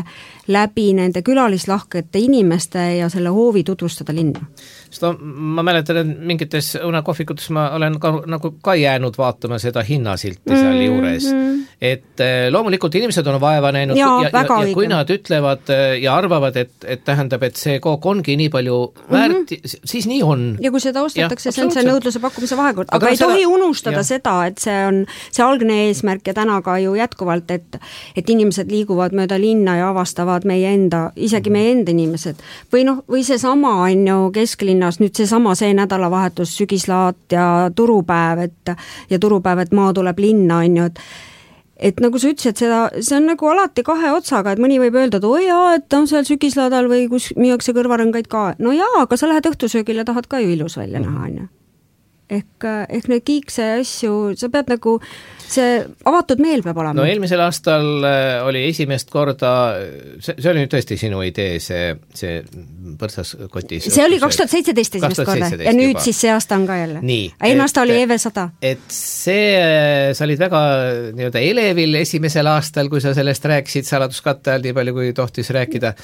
läbi nende külalislahkete inimeste ja selle hoovi tutvustada linna. Seda ma mäletan, et mingites õunakohvikutes ma olen ka, nagu ka jäänud vaatama seda hinnasilti seal mm, juures. Mm. Et loomulikult inimesed on vaeva näinud ja, ja, ja, ja kui nad ütlevad ja arvavad, et, et tähendab, et see kook ongi nii palju väärt, mm-hmm. siis nii on. Ja kui seda ostetakse, see on see nõudluse pakkumise vahekord. Aga, aga ei seda, tohi unustada ja. seda, et see on see algne eesmärk ja täna ka ju jätkuvalt, et, et inimesed liiguvad mööda linna ja avastavad meie enda, isegi meie enda inimesed. Või noh, või see sama on ju kesklinnas, nüüd see sama see nädalavahetus, sügislaat ja turupäev, et ja turupäev, et maa tuleb linna, on ju, et et nagu sa ütlesid, seda, see on nagu alati kahe otsaga, et mõni võib öelda, et oi jaa, et on seal sügislaadal või kus müüakse kõrvarõngaid ka. No jaa, aga sa lähed õhtusöögile, tahad ka ju ilus välja näha, on ju. Ehk, ehk neid kiikse asju, sa pead nagu, see avatud meel peab olema. No eelmisel aastal oli esimest korda, see, see oli nüüd tõesti sinu idee, see, see põrsas kotis. See oli kaks tuhat seitseteist esimest korda ja nüüd juba. Siis see aasta on ka jälle. Eelmine aasta oli E V sada. Et see, sa olid väga nii-öelda elevil esimesel aastal, kui sa sellest rääkisid saladuskatte all, nii palju kui tohtis rääkida.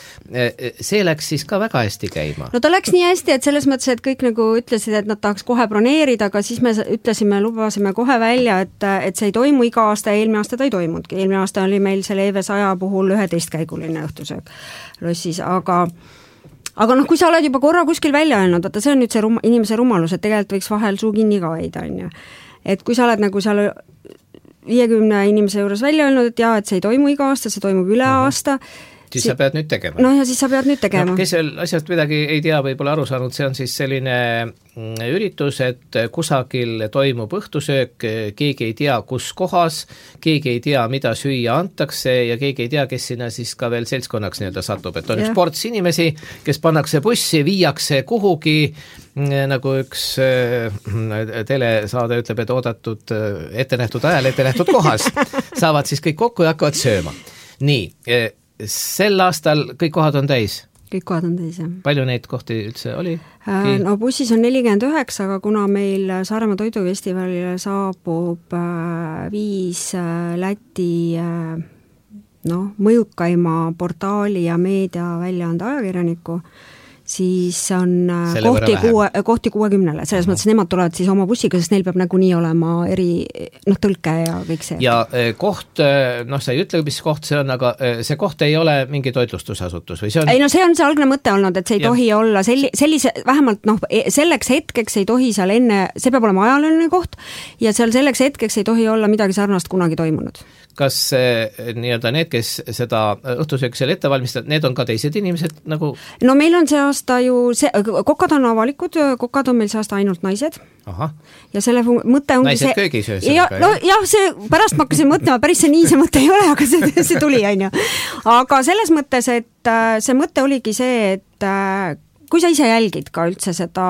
See läks siis ka väga hästi käima. No ta läks nii hästi, et selles mõttes, et kõik nagu ütlesid, et nad tahaks kohe broneerida, aga siis me ütlesime, lubasime kohe välja, et, et see ei toimu iga aasta ja eelmine aasta ta ei toimudki. Eelmine aasta oli meil selle E V saja puhul üheteistkäiguline õhtusöök lossis, aga aga noh, kui sa oled juba korra kuskil välja öelnud, vaata see on nüüd see rum, inimese rumalus, et tegelikult võiks vahel suu kinni ka hoida, on ju. Et kui sa oled nagu seal viiekümne inimese juures välja öelnud, et jaa, et see ei toimu iga aasta, see toimub üle aasta, siis sa pead nüüd tegema. No ja siis sa pead nüüd tegema. No, kes veel asjast midagi ei tea, võib-olla aru saanud, see on siis selline üritus, et kusagil toimub õhtusöök, keegi ei tea, kus kohas, keegi ei tea, mida süüa antakse ja keegi ei tea, kes sinna siis ka veel seltskonnaks nii-öelda satub, et on ja. üks ports inimesi, kes pannakse bussi, viiakse kuhugi, nagu üks telesaade ütleb, et oodatud ette nähtud ajal, ette nähtud kohas, saavad siis kõik kokku ja hakkavad sööma. Nii, sel aastal kõik kohad on täis? Kõik kohad on täis, jah. Palju neid kohti üldse oli? No bussis on nelikümmend üheksa, aga kuna meil Saaremaa toidufestivalile saabub viis Läti no, mõjukaima portaali ja meedia väljaande ajakirjaniku, siis on Selle kohti, kuue, kohti kuuekümnele, selles mõttes nemad tulevad siis oma bussiga, sest neil peab nagu nii olema eri noh, tõlke ja kõik see. Ja koht, noh sa ei ütle, mis koht see on, aga see koht ei ole mingi toitlustusasutus või see on? Ei no see on see algne mõte olnud, et see ei ja. tohi olla selli, sellise, vähemalt noh, selleks hetkeks ei tohi seal enne, see peab olema ajalooline koht ja seal selleks hetkeks ei tohi olla midagi sarnast kunagi toimunud. Kas nii-öelda need, kes seda õhtusööki seal ette valmistavad, need on ka teised inimesed nagu? No meil on see aasta ju, see, kokad on avalikud, kokad on meil see aasta ainult naised. Aha. Ja selle mõte ongi naised see... köögis öös. Ja, no, jah, see, pärast ma hakkasin mõtlema, päris see nii see mõte ei ole, aga see, see tuli, on ju. Aga selles mõttes, et see mõte oligi see, et kui sa ise jälgid ka üldse seda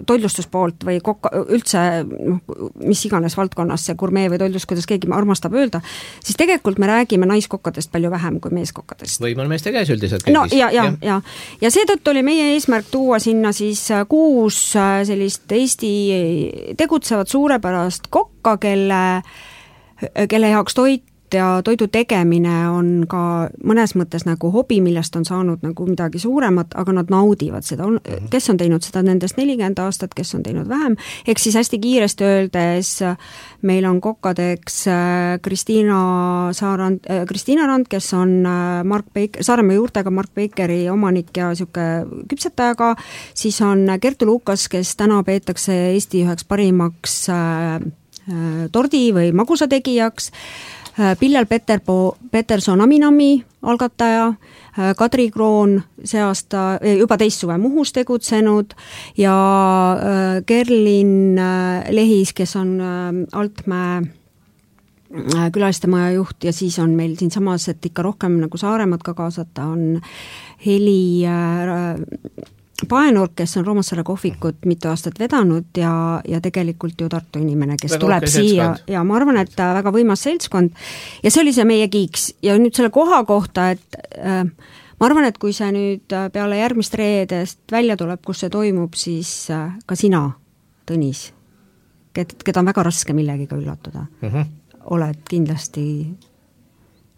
toitlustuspoolt või kokka, üldse noh, mis iganes valdkonnas see gurmee või toitlus, kuidas keegi armastab öelda, siis tegelikult me räägime naiskokkadest palju vähem kui meeskokkadest. Või mõne meeste käes üldiselt köögis. No ja, ja, ja. ja seetõttu oli meie eesmärk tuua sinna siis kuus sellist Eesti tegutsevat suurepärast kokka, kelle, kelle jaoks toit ja toidu tegemine on ka mõnes mõttes nagu hobi, millest on saanud nagu midagi suuremat, aga nad naudivad seda, kes on teinud seda nendest nelikümmend aastat, kes on teinud vähem, eks siis hästi kiiresti öeldes meil on kokkadeks Kristiina Saarand, Kristiina Rand, kes on Mark Baker, Saaremaa juurtega Mark Bakeri omanik ja siuke küpsetajaga, siis on Kertu Lukas, kes täna peetakse Eesti üheks parimaks tordi või magusategijaks, Pillel Peterpo, Peterson Aminami algataja, Kadri Kroon see aasta juba teist suve Muhus tegutsenud ja Kerlin Lehis, kes on Altmäe külalistemaja juht ja siis on meil siin samas, et ikka rohkem nagu Saaremaad ka kaasata, on Heli äh, Paenurk, kes on Roomassaare kohvikut mitu aastat vedanud ja, ja tegelikult ju Tartu inimene, kes väga tuleb siia seltskond. Ja ma arvan, et väga võimas seltskond ja see oli see meie kiiks ja nüüd selle koha kohta, et äh, ma arvan, et kui see nüüd peale järgmist reedest välja tuleb, kus see toimub, siis äh, ka sina, Tõnis, keda on väga raske millegiga üllatuda. Mm-hmm. oled kindlasti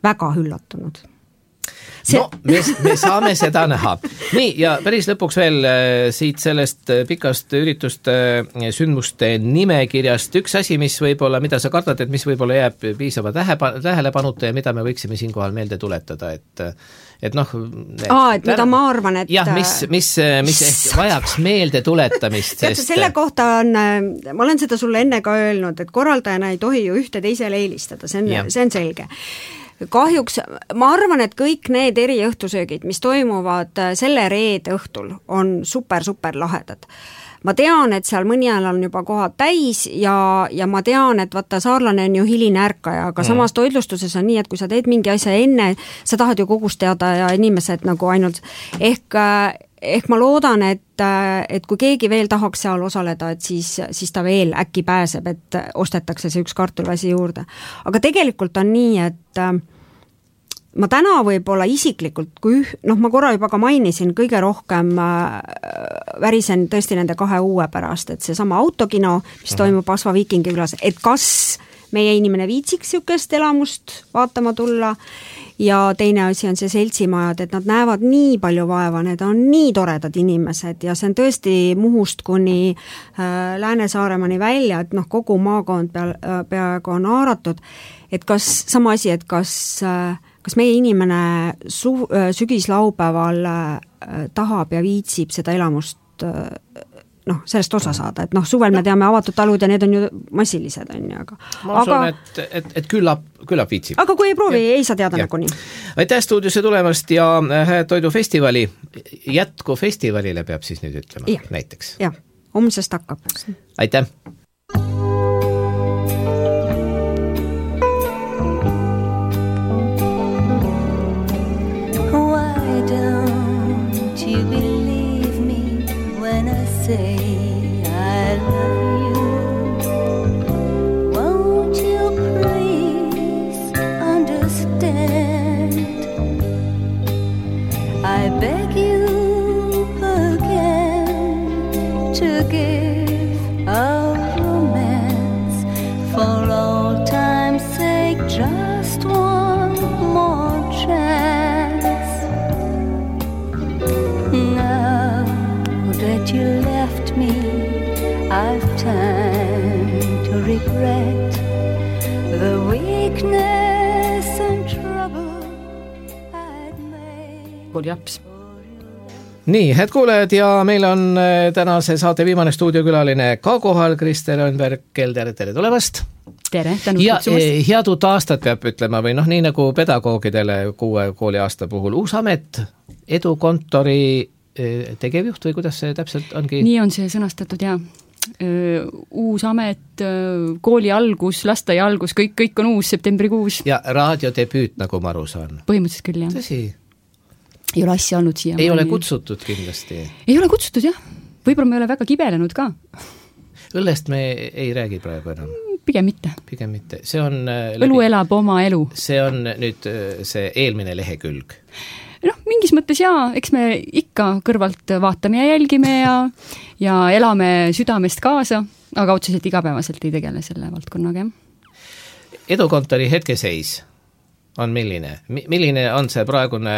väga üllatunud. See... No, me, me saame seda näha. Nii, ja päris lõpuks veel siit sellest pikast ürituste sündmuste nimekirjast üks asi, mis võib-olla, mida sa kardad, et mis võib-olla jääb piisava tähelepanuta ja mida me võiksime siinkohal meelde tuletada, et et noh... Aa, et mida ma arvan, et... Jah, mis, mis, mis ehk vajaks meelde tuletamist, sest... Selle kohta on, ma olen seda sulle enne ka öelnud, et korraldajana ei tohi ju ühte teisele eelistada, see on, see on selge. Kahjuks, ma arvan, et kõik need eriõhtusöögid, mis toimuvad selle reede õhtul, on super, super lahedad. Ma tean, et seal mõni ajal on juba kohad täis ja, ja ma tean, et vaata, saarlane on ju hiline ärkaja, aga mm. samas toitlustuses on nii, et kui sa teed mingi asja enne, sa tahad ju kogust teada ja inimesed nagu ainult ehk, ehk ma loodan, et, et kui keegi veel tahaks seal osaleda, et siis, siis ta veel äkki pääseb, et ostetakse see üks kartulväsi juurde. Aga tegelikult on nii, et ma täna võib-olla isiklikult, kui noh, ma korra juba ka mainisin, kõige rohkem äh, värisen tõesti nende kahe uue pärast, et see sama autokino, mis toimub Asva Viikingi külas, et kas meie inimene viitsiks sükest elamust vaatama tulla ja teine asi on see seltsimajad, et nad näevad nii palju vaeva, need on nii toredad inimesed ja see on tõesti Muhust kuni äh, Lääne-Saaremani välja, et noh, kogu maakond pea, peaaegu on haaratud, et kas sama asi, et kas äh, kas meie inimene su- sügislaupäeval tahab ja viitsib seda elamust noh, sellest osa saada, et noh, suvel me teame avatud talud ja need on ju massilised, on ju, aga ma usun, aga, et, et, et küllap, küllap viitsib. Aga kui ei proovi, ja. ei saa teada nagu nii. Aitäh stuudiosse tulemast ja toidufestivali, jätku festivalile peab siis nüüd ütlema ja. Näiteks. Jah, homsest hakkab. Aitäh! Say I love you. Won't you please understand? I beg you again to give a romance for all time's sake, just one more chance. Now that you left me, I've time to regret the weakness and trouble I'd made. Good japs. Nii, head kuulajad ja meil on tänase saate viimane stuudiokülaline ka kohal, Krister Öönberg-Kelder, tere tulemast! Tere, tänu ja kutsumast! Head uut aastat peab ütlema või noh, nii nagu pedagoogidele kuue kooli aasta puhul. Uus amet, edukontori tegevjuht või kuidas see täpselt ongi? Nii on see sõnastatud, jah. Uus amet, kooli algus, lasteaia algus, kõik, kõik on uus, septembrikuus. Ja raadiodebüüt, nagu ma aru saan. Põhimõtteliselt küll, jah. Tõsi? Ei ole asja olnud siia. Ei ole kutsutud kindlasti? Ei ole kutsutud, jah. Võib-olla me ei ole väga kibelenud ka. Õllest me ei räägi praegu enam? Pigem mitte. Pigem mitte. See on läbi... Õlu elab oma elu. See on nüüd see eelmine lehekülg. noh, mingis mõttes jaa, eks me ikka kõrvalt vaatame ja jälgime ja, ja elame südamest kaasa, aga otseselt igapäevaselt ei tegele selle valdkonnaga. Edukontori hetkeseis on milline? Milline on see praegune,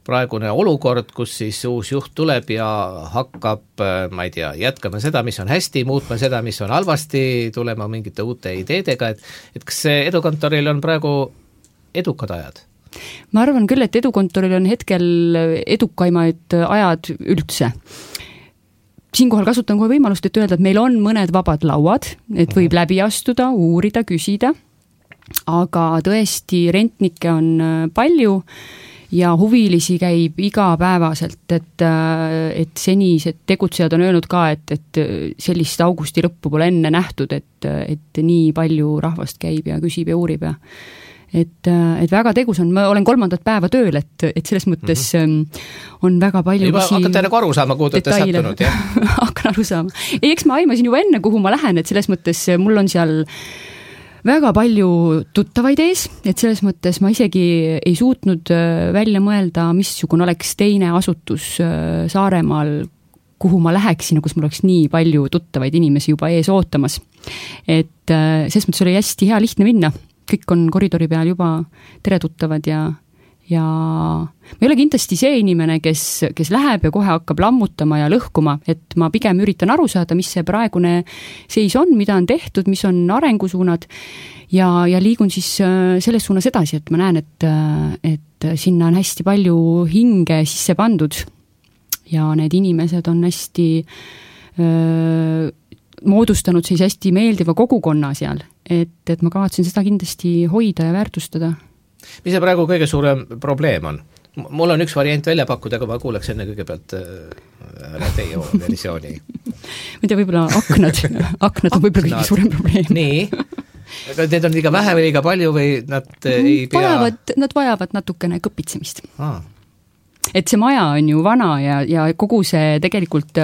praegune olukord, kus siis uus juht tuleb ja hakkab, ma ei tea, jätkama seda, mis on hästi, muutma seda, mis on halvasti, tulema mingite uute ideedega, et, et kas see Edukontoril on praegu edukad ajad? Ma arvan küll, et Edukontoril on hetkel edukaimaid ajad üldse. Siinkohal kasutan kohe võimalust, et öelda, et meil on mõned vabad lauad, et võib läbi astuda, uurida, küsida, aga tõesti rentnikke on palju ja huvilisi käib igapäevaselt, et, et senised tegutsejad on öelnud ka, et, et sellist augusti lõppu pole enne nähtud, et, et nii palju rahvast käib ja küsib ja uurib ja et, et väga tegus on, ma olen kolmandat päeva tööl, et, et selles mõttes mm-hmm. on väga palju juba hakkate nagu aru saama, kuhu te olete sattunud, jah? hakkan aru saama. Ei, eks ma aimasin juba enne, kuhu ma lähen, et selles mõttes mul on seal väga palju tuttavaid ees, et selles mõttes ma isegi ei suutnud välja mõelda, missugune oleks teine asutus Saaremaal, kuhu ma läheksin ja kus mul oleks nii palju tuttavaid inimesi juba ees ootamas. Et selles mõttes oli hästi hea lihtne minna. Kõik on koridori peal juba tere tuttavad ja, ja ma ei ole kindlasti see inimene, kes, kes läheb ja kohe hakkab lammutama ja lõhkuma, et ma pigem üritan aru saada, mis see praegune seis on, mida on tehtud, mis on arengusuunad ja, ja liigun siis selles suunas edasi, et ma näen, et, et sinna on hästi palju hinge sisse pandud ja need inimesed on hästi öö, moodustanud siis hästi meeldiva kogukonna seal, et, et ma kavatsen seda kindlasti hoida ja väärtustada. Mis see praegu kõige suurem probleem on? Mul on üks variant välja pakkuda, aga ma kuuleks enne kõigepealt äh, teie versiooni. ma ei tea, võib-olla aknad, aknad on võib-olla kõige suurem probleem. Nii, aga need on liiga vähe või liiga palju või nad ei pea... Vajavad, nad vajavad natukene kõpitsemist. Aa. Et see maja on ju vana ja, ja kogu see tegelikult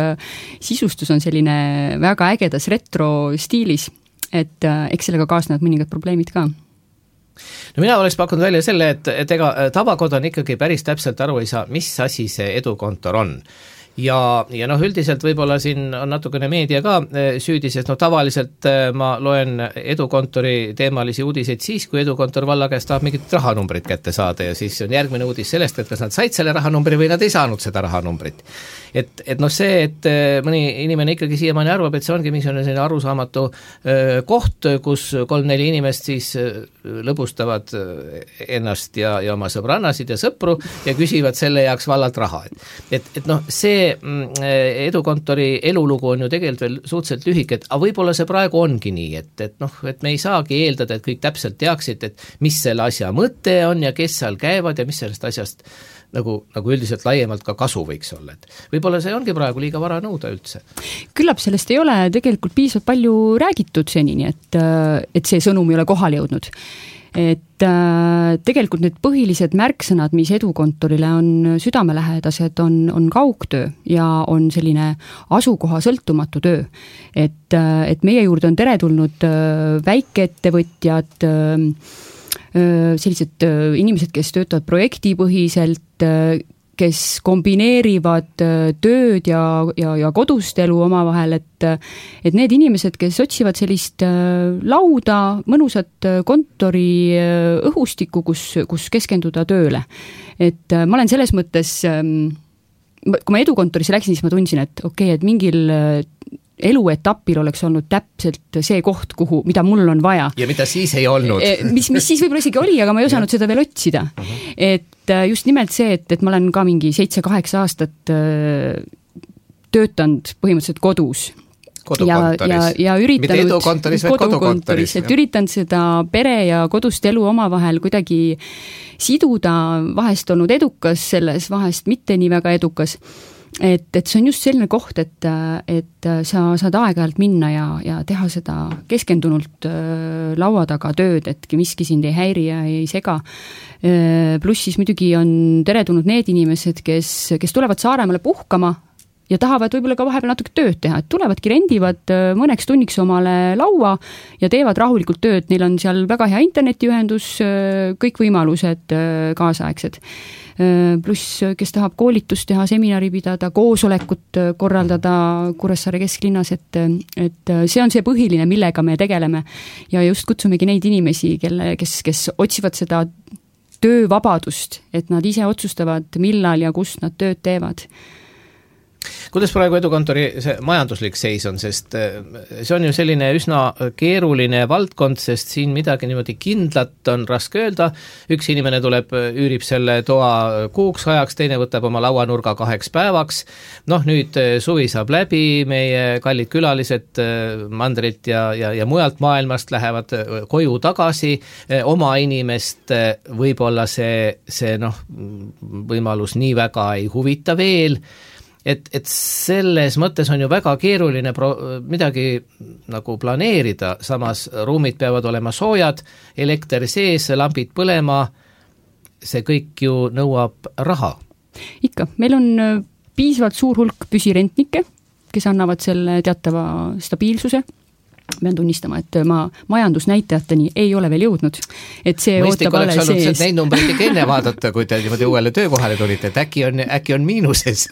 sisustus on selline väga ägedas retro stiilis, et eks sellega kaasnevad mõningad probleemid ka. No mina oleks pakkunud välja selle, et, et ega tavakodan ikkagi päris täpselt aru ei saa, mis asi see edukontor on. Ja, ja noh, üldiselt võib-olla siin on natukene meedia ka süüdi, sest noh, tavaliselt ma loen edukontori teemalisi uudiseid siis, kui edukontor valla käest tahab mingit rahanumbrit kätte saada ja siis on järgmine uudis sellest, et kas nad said selle rahanumbri või nad ei saanud seda rahanumbrit. Et, et noh see, et mõni inimene ikkagi siiamaani arvab, et see ongi mingisugune selline arusaamatu koht, kus kolm-neli inimest siis lõbustavad ennast ja, ja oma sõbrannasid ja sõpru ja küsivad selle jaoks vallalt raha. Et, et, et noh, see edukontori elulugu on ju tegelikult veel suhteliselt lühike, et aga võib-olla see praegu ongi nii, et, et noh, et me ei saagi eeldada, et kõik täpselt teaksid, et mis selle asja mõte on ja kes seal käivad ja mis sellest asjast nagu, nagu üldiselt laiemalt ka kasu võiks olla, et võib-olla see ongi praegu liiga vara nõuda üldse. Küllap sellest ei ole tegelikult piisavalt palju räägitud senini, et, et see sõnum ei ole kohale jõudnud. Et äh, tegelikult need põhilised märksõnad, mis edukontorile on südamelähedased, on, on kaugtöö ja on selline asukoha sõltumatu töö. Et, äh, et meie juurde on teretulnud äh, väikeettevõtjad, äh, sellised inimesed, kes töötavad projektipõhiselt, kes kombineerivad tööd ja, ja, ja kodust elu omavahel, et, et need inimesed, kes otsivad sellist lauda, mõnusat kontori õhustikku, kus, kus keskenduda tööle. Et ma olen selles mõttes, kui ma edukontorisse läksin, siis ma tundsin, et okei, okay, et mingil eluetapil oleks olnud täpselt see koht, kuhu, mida mul on vaja. Ja mida siis ei olnud. mis, mis siis võib-olla isegi oli, aga ma ei osanud seda veel otsida. Uh-huh. Et just nimelt see, et, et ma olen ka mingi seitse-kaheksa aastat töötanud põhimõtteliselt kodus. Kodukontoris. Ja, ja, ja üritanud, mitte edukontoris, vaid kodukontoris. Et üritanud seda pere ja kodust elu omavahel kuidagi siduda, vahest olnud edukas selles, vahest mitte nii väga edukas. Et, et see on just selline koht, et, et sa saad aeg-ajalt minna ja, ja teha seda keskendunult laua taga tööd, et miski sind ei häiri ja ei sega. Pluss siis muidugi on teretulnud need inimesed, kes, kes tulevad Saaremaale puhkama ja tahavad võib-olla ka vahepeal natuke tööd teha, et tulevadki rendivad mõneks tunniks omale laua ja teevad rahulikult tööd, neil on seal väga hea internetiühendus, kõik võimalused kaasaegsed. Pluss, kes tahab koolitust teha, seminari pidada, koosolekut korraldada Kuressaare kesklinnas, et, et see on see põhiline, millega me tegeleme ja just kutsumegi neid inimesi, kelle, kes, kes otsivad seda töövabadust, et nad ise otsustavad, millal ja kust nad tööd teevad. Kuidas praegu Edukontori see majanduslik seis on, sest see on ju selline üsna keeruline valdkond, sest siin midagi niimoodi kindlat on raske öelda, üks inimene tuleb, üürib selle toa kuuks ajaks, teine võtab oma lauanurga kaheks päevaks, noh nüüd suvi saab läbi, meie kallid külalised mandrilt ja, ja, ja mujalt maailmast lähevad koju tagasi, oma inimest võib-olla see, see noh, võimalus nii väga ei huvita veel, et, et selles mõttes on ju väga keeruline pro-, midagi nagu planeerida, samas ruumid peavad olema soojad, elekter sees, lambid põlema, see kõik ju nõuab raha. Ikka, meil on piisavalt suur hulk püsirentnikke, kes annavad selle teatava stabiilsuse. Pean tunnistama, et ma majandusnäitajateni ei ole veel jõudnud. Et see mõistlik ootab oleks alles olnud sees. neid numbreid ikka enne vaadata, kui te niimoodi uuele töökohale tulite, et äkki on, äkki on miinuses.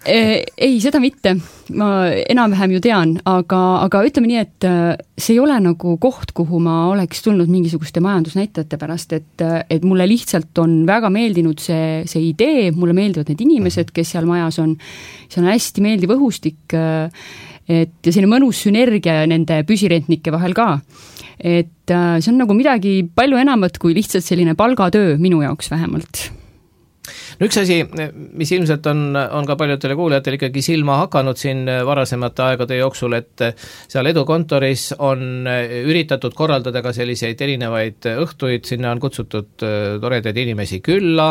Ei, seda mitte. Ma enam-vähem ju tean, aga, aga ütleme nii, et see ei ole nagu koht, kuhu ma oleks tulnud mingisuguste majandusnäitajate pärast, et, et mulle lihtsalt on väga meeldinud see, see idee, mulle meeldivad need inimesed, kes seal majas on, see on hästi meeldiv õhustik, et ja selline mõnus sünergia nende püsirentnike vahel ka. Et see on nagu midagi palju enamat kui lihtsalt selline palgatöö minu jaoks vähemalt. No üks asi, mis ilmselt on, on ka paljudele kuulajatele ikkagi silma hakanud siin varasemate aegade jooksul, et seal Edukontoris on üritatud korraldada ka selliseid erinevaid õhtuid, sinna on kutsutud toredaid inimesi külla,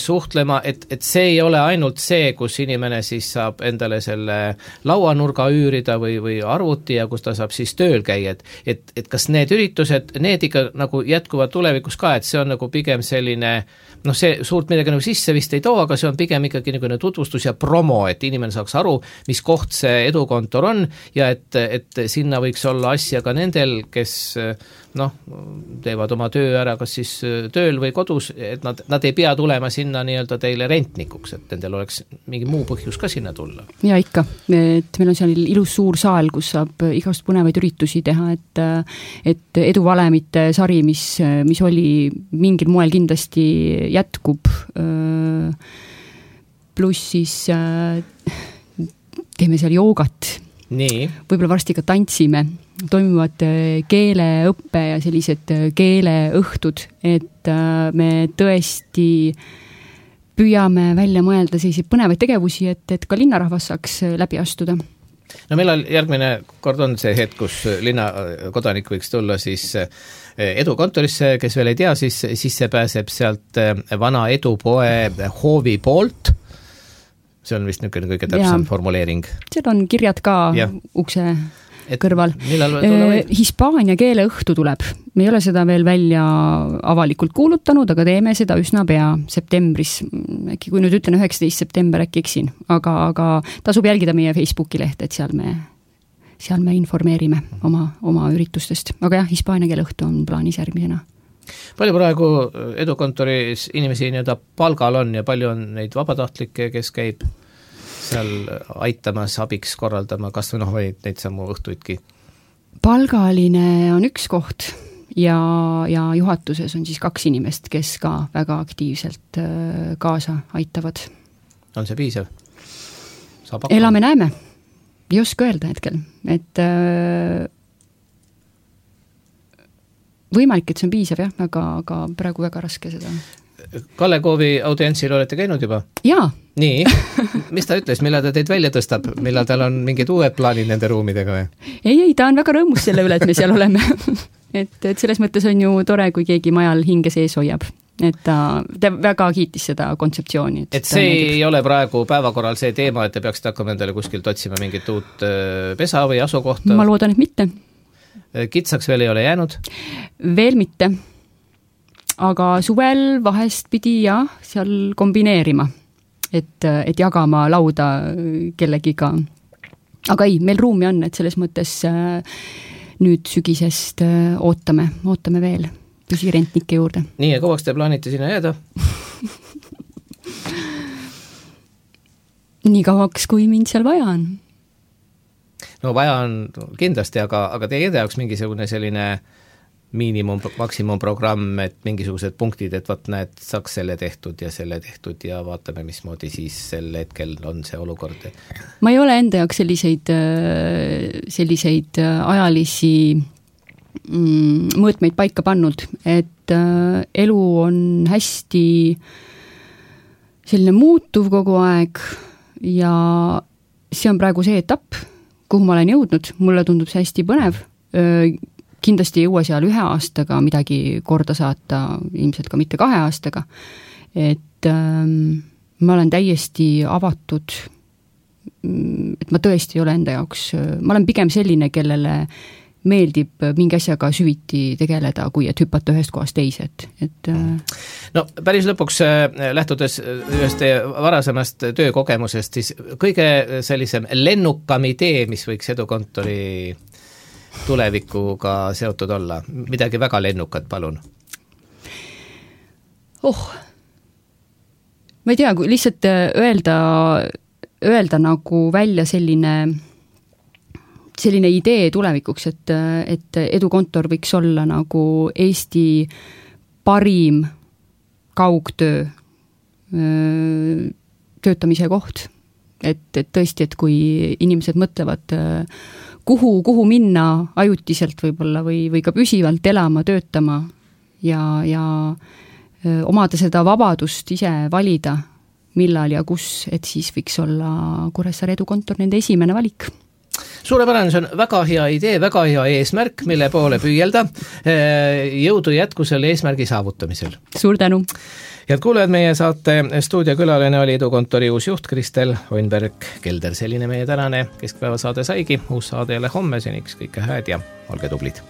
suhtlema, et, et see ei ole ainult see, kus inimene siis saab endale selle lauanurga üürida või, või arvuti ja kus ta saab siis tööl käia, et, et, et kas need üritused, need ikka nagu jätkuvad tulevikus ka, et see on nagu pigem selline, noh see suurt midagi nagu sisse vist ei too, aga see on pigem ikkagi niisugune tutvustus ja promo, et inimene saaks aru, mis koht see Edukontor on ja et, et sinna võiks olla asja ka nendel, kes noh, teevad oma töö ära kas siis tööl või kodus, et nad, nad ei pea tulema sinna nii-öelda teile rentnikuks, et nendel oleks mingi muu põhjus ka sinna tulla. Ja ikka, et meil on seal ilus suur saal, kus saab igast põnevaid üritusi teha, et, et eduvalemite sari, mis, mis oli mingil moel kindlasti jätkub, pluss siis teeme seal joogat, nii. võib-olla varsti ka tantsime, toimuvad keeleõppe ja sellised keeleõhtud, et me tõesti püüame välja mõelda selliseid põnevaid tegevusi, et, et ka linnarahvas saaks läbi astuda. No millal järgmine kord on see hetk, kus linna kodanik võiks tulla siis Edukontorisse, kes veel ei tea, siis sisse pääseb sealt vana Edupoe hoovi poolt, see on vist niisugune kõige täpsem ja formuleering. Seal on kirjad ka ja ukse et kõrval. Hispaania keeleõhtu tuleb. Me ei ole seda veel välja avalikult kuulutanud, aga teeme seda üsna pea septembris. Äkki kui nüüd ütlen üheksateist september, äkki eksin. Aga, aga tasub jälgida meie Facebooki lehte, et seal me, seal me informeerime oma, oma üritustest. Aga jah, Hispaania keeleõhtu on plaanis järgmisena. Palju praegu Edukontoris inimesi nii-öelda palgal on ja palju on neid vabatahtlikke, kes käib seal aitamas, abiks korraldama, kas või noh, või neid samu õhtuidki? Palgaline on üks koht ja, ja juhatuses on siis kaks inimest, kes ka väga aktiivselt kaasa aitavad. On see piisav? Elame näeme. Ei oska öelda hetkel, et võimalik, et see on piisav jah, aga, aga praegu väga raske seda. Kalle Koovi audientsil olete käinud juba? Jaa. Nii, mis ta ütles, millal ta teid välja tõstab, millal tal on mingid uued plaanid nende ruumidega või? Ei, ei, ta on väga rõõmus selle üle, et me seal oleme. et, et selles mõttes on ju tore, kui keegi majal hinge sees hoiab. Et ta, ta väga kiitis seda kontseptsiooni. Et, et see nägib. Ei ole praegu päevakorral see teema, et te peaksite hakkama endale kuskilt otsima mingit uut pesa või asukohta? Ma loodan, et mitte. Kitsaks veel ei ole jäänud? Veel mitte. Aga suvel vahest pidi ja seal kombineerima, et, et jagama lauda kellegiga. Aga ei, meil ruumi on, et selles mõttes nüüd sügisest ootame, ootame veel püsirentnike juurde. Nii, ja kauaks te plaanite sinna jääda? Nii kauaks, kui mind seal vaja on. No vaja on kindlasti, aga, aga teie jaoks mingisugune selline miinimum, maksimumprogramm, et mingisugused punktid, et vaat näed, saaks selle tehtud ja selle tehtud ja vaatame, mismoodi siis sel hetkel on see olukord. Ma ei ole enda jaoks selliseid, selliseid ajalisi mõõtmeid paika pannud, et elu on hästi selline muutuv kogu aeg ja see on praegu see etapp, kuhu ma olen jõudnud, mulle tundub see hästi põnev, kindlasti ei jõua seal ühe aastaga midagi korda saata, ilmselt ka mitte kahe aastaga, et ähm, ma olen täiesti avatud, et ma tõesti ei ole enda jaoks, ma olen pigem selline, kellele meeldib mingi asjaga süviti tegeleda, kui et hüpata ühest kohast teise, et, et no päris lõpuks lähtudes ühest varasemast töökogemusest, siis kõige sellisem lennukam idee, mis võiks Edukontori tulevikuga seotud olla, midagi väga lennukat, palun. Oh, ma ei tea, kui lihtsalt öelda, öelda nagu välja selline, selline idee tulevikuks, et, et Edukontor võiks olla nagu Eesti parim kaugtöö töötamise koht. Et, et tõesti, et kui inimesed mõtlevad kuhu, kuhu minna ajutiselt võib-olla või, või ka püsivalt elama, töötama ja, ja omada seda vabadust ise valida, millal ja kus, et siis võiks olla Kuressaare Edukontor nende esimene valik. Suurepärane, see on väga hea idee, väga hea eesmärk, mille poole püüelda. Jõudu jätku selle eesmärgi saavutamisel. Suur tänu! Head kuulajad, meie saate stuudiokülaline oli Edukontori uus juht Kristel Oinberg-Kelder. Selline meie tänane keskpäeva saade saigi. Uus saade jälle homme, seniks kõike hääd ja olge tublid!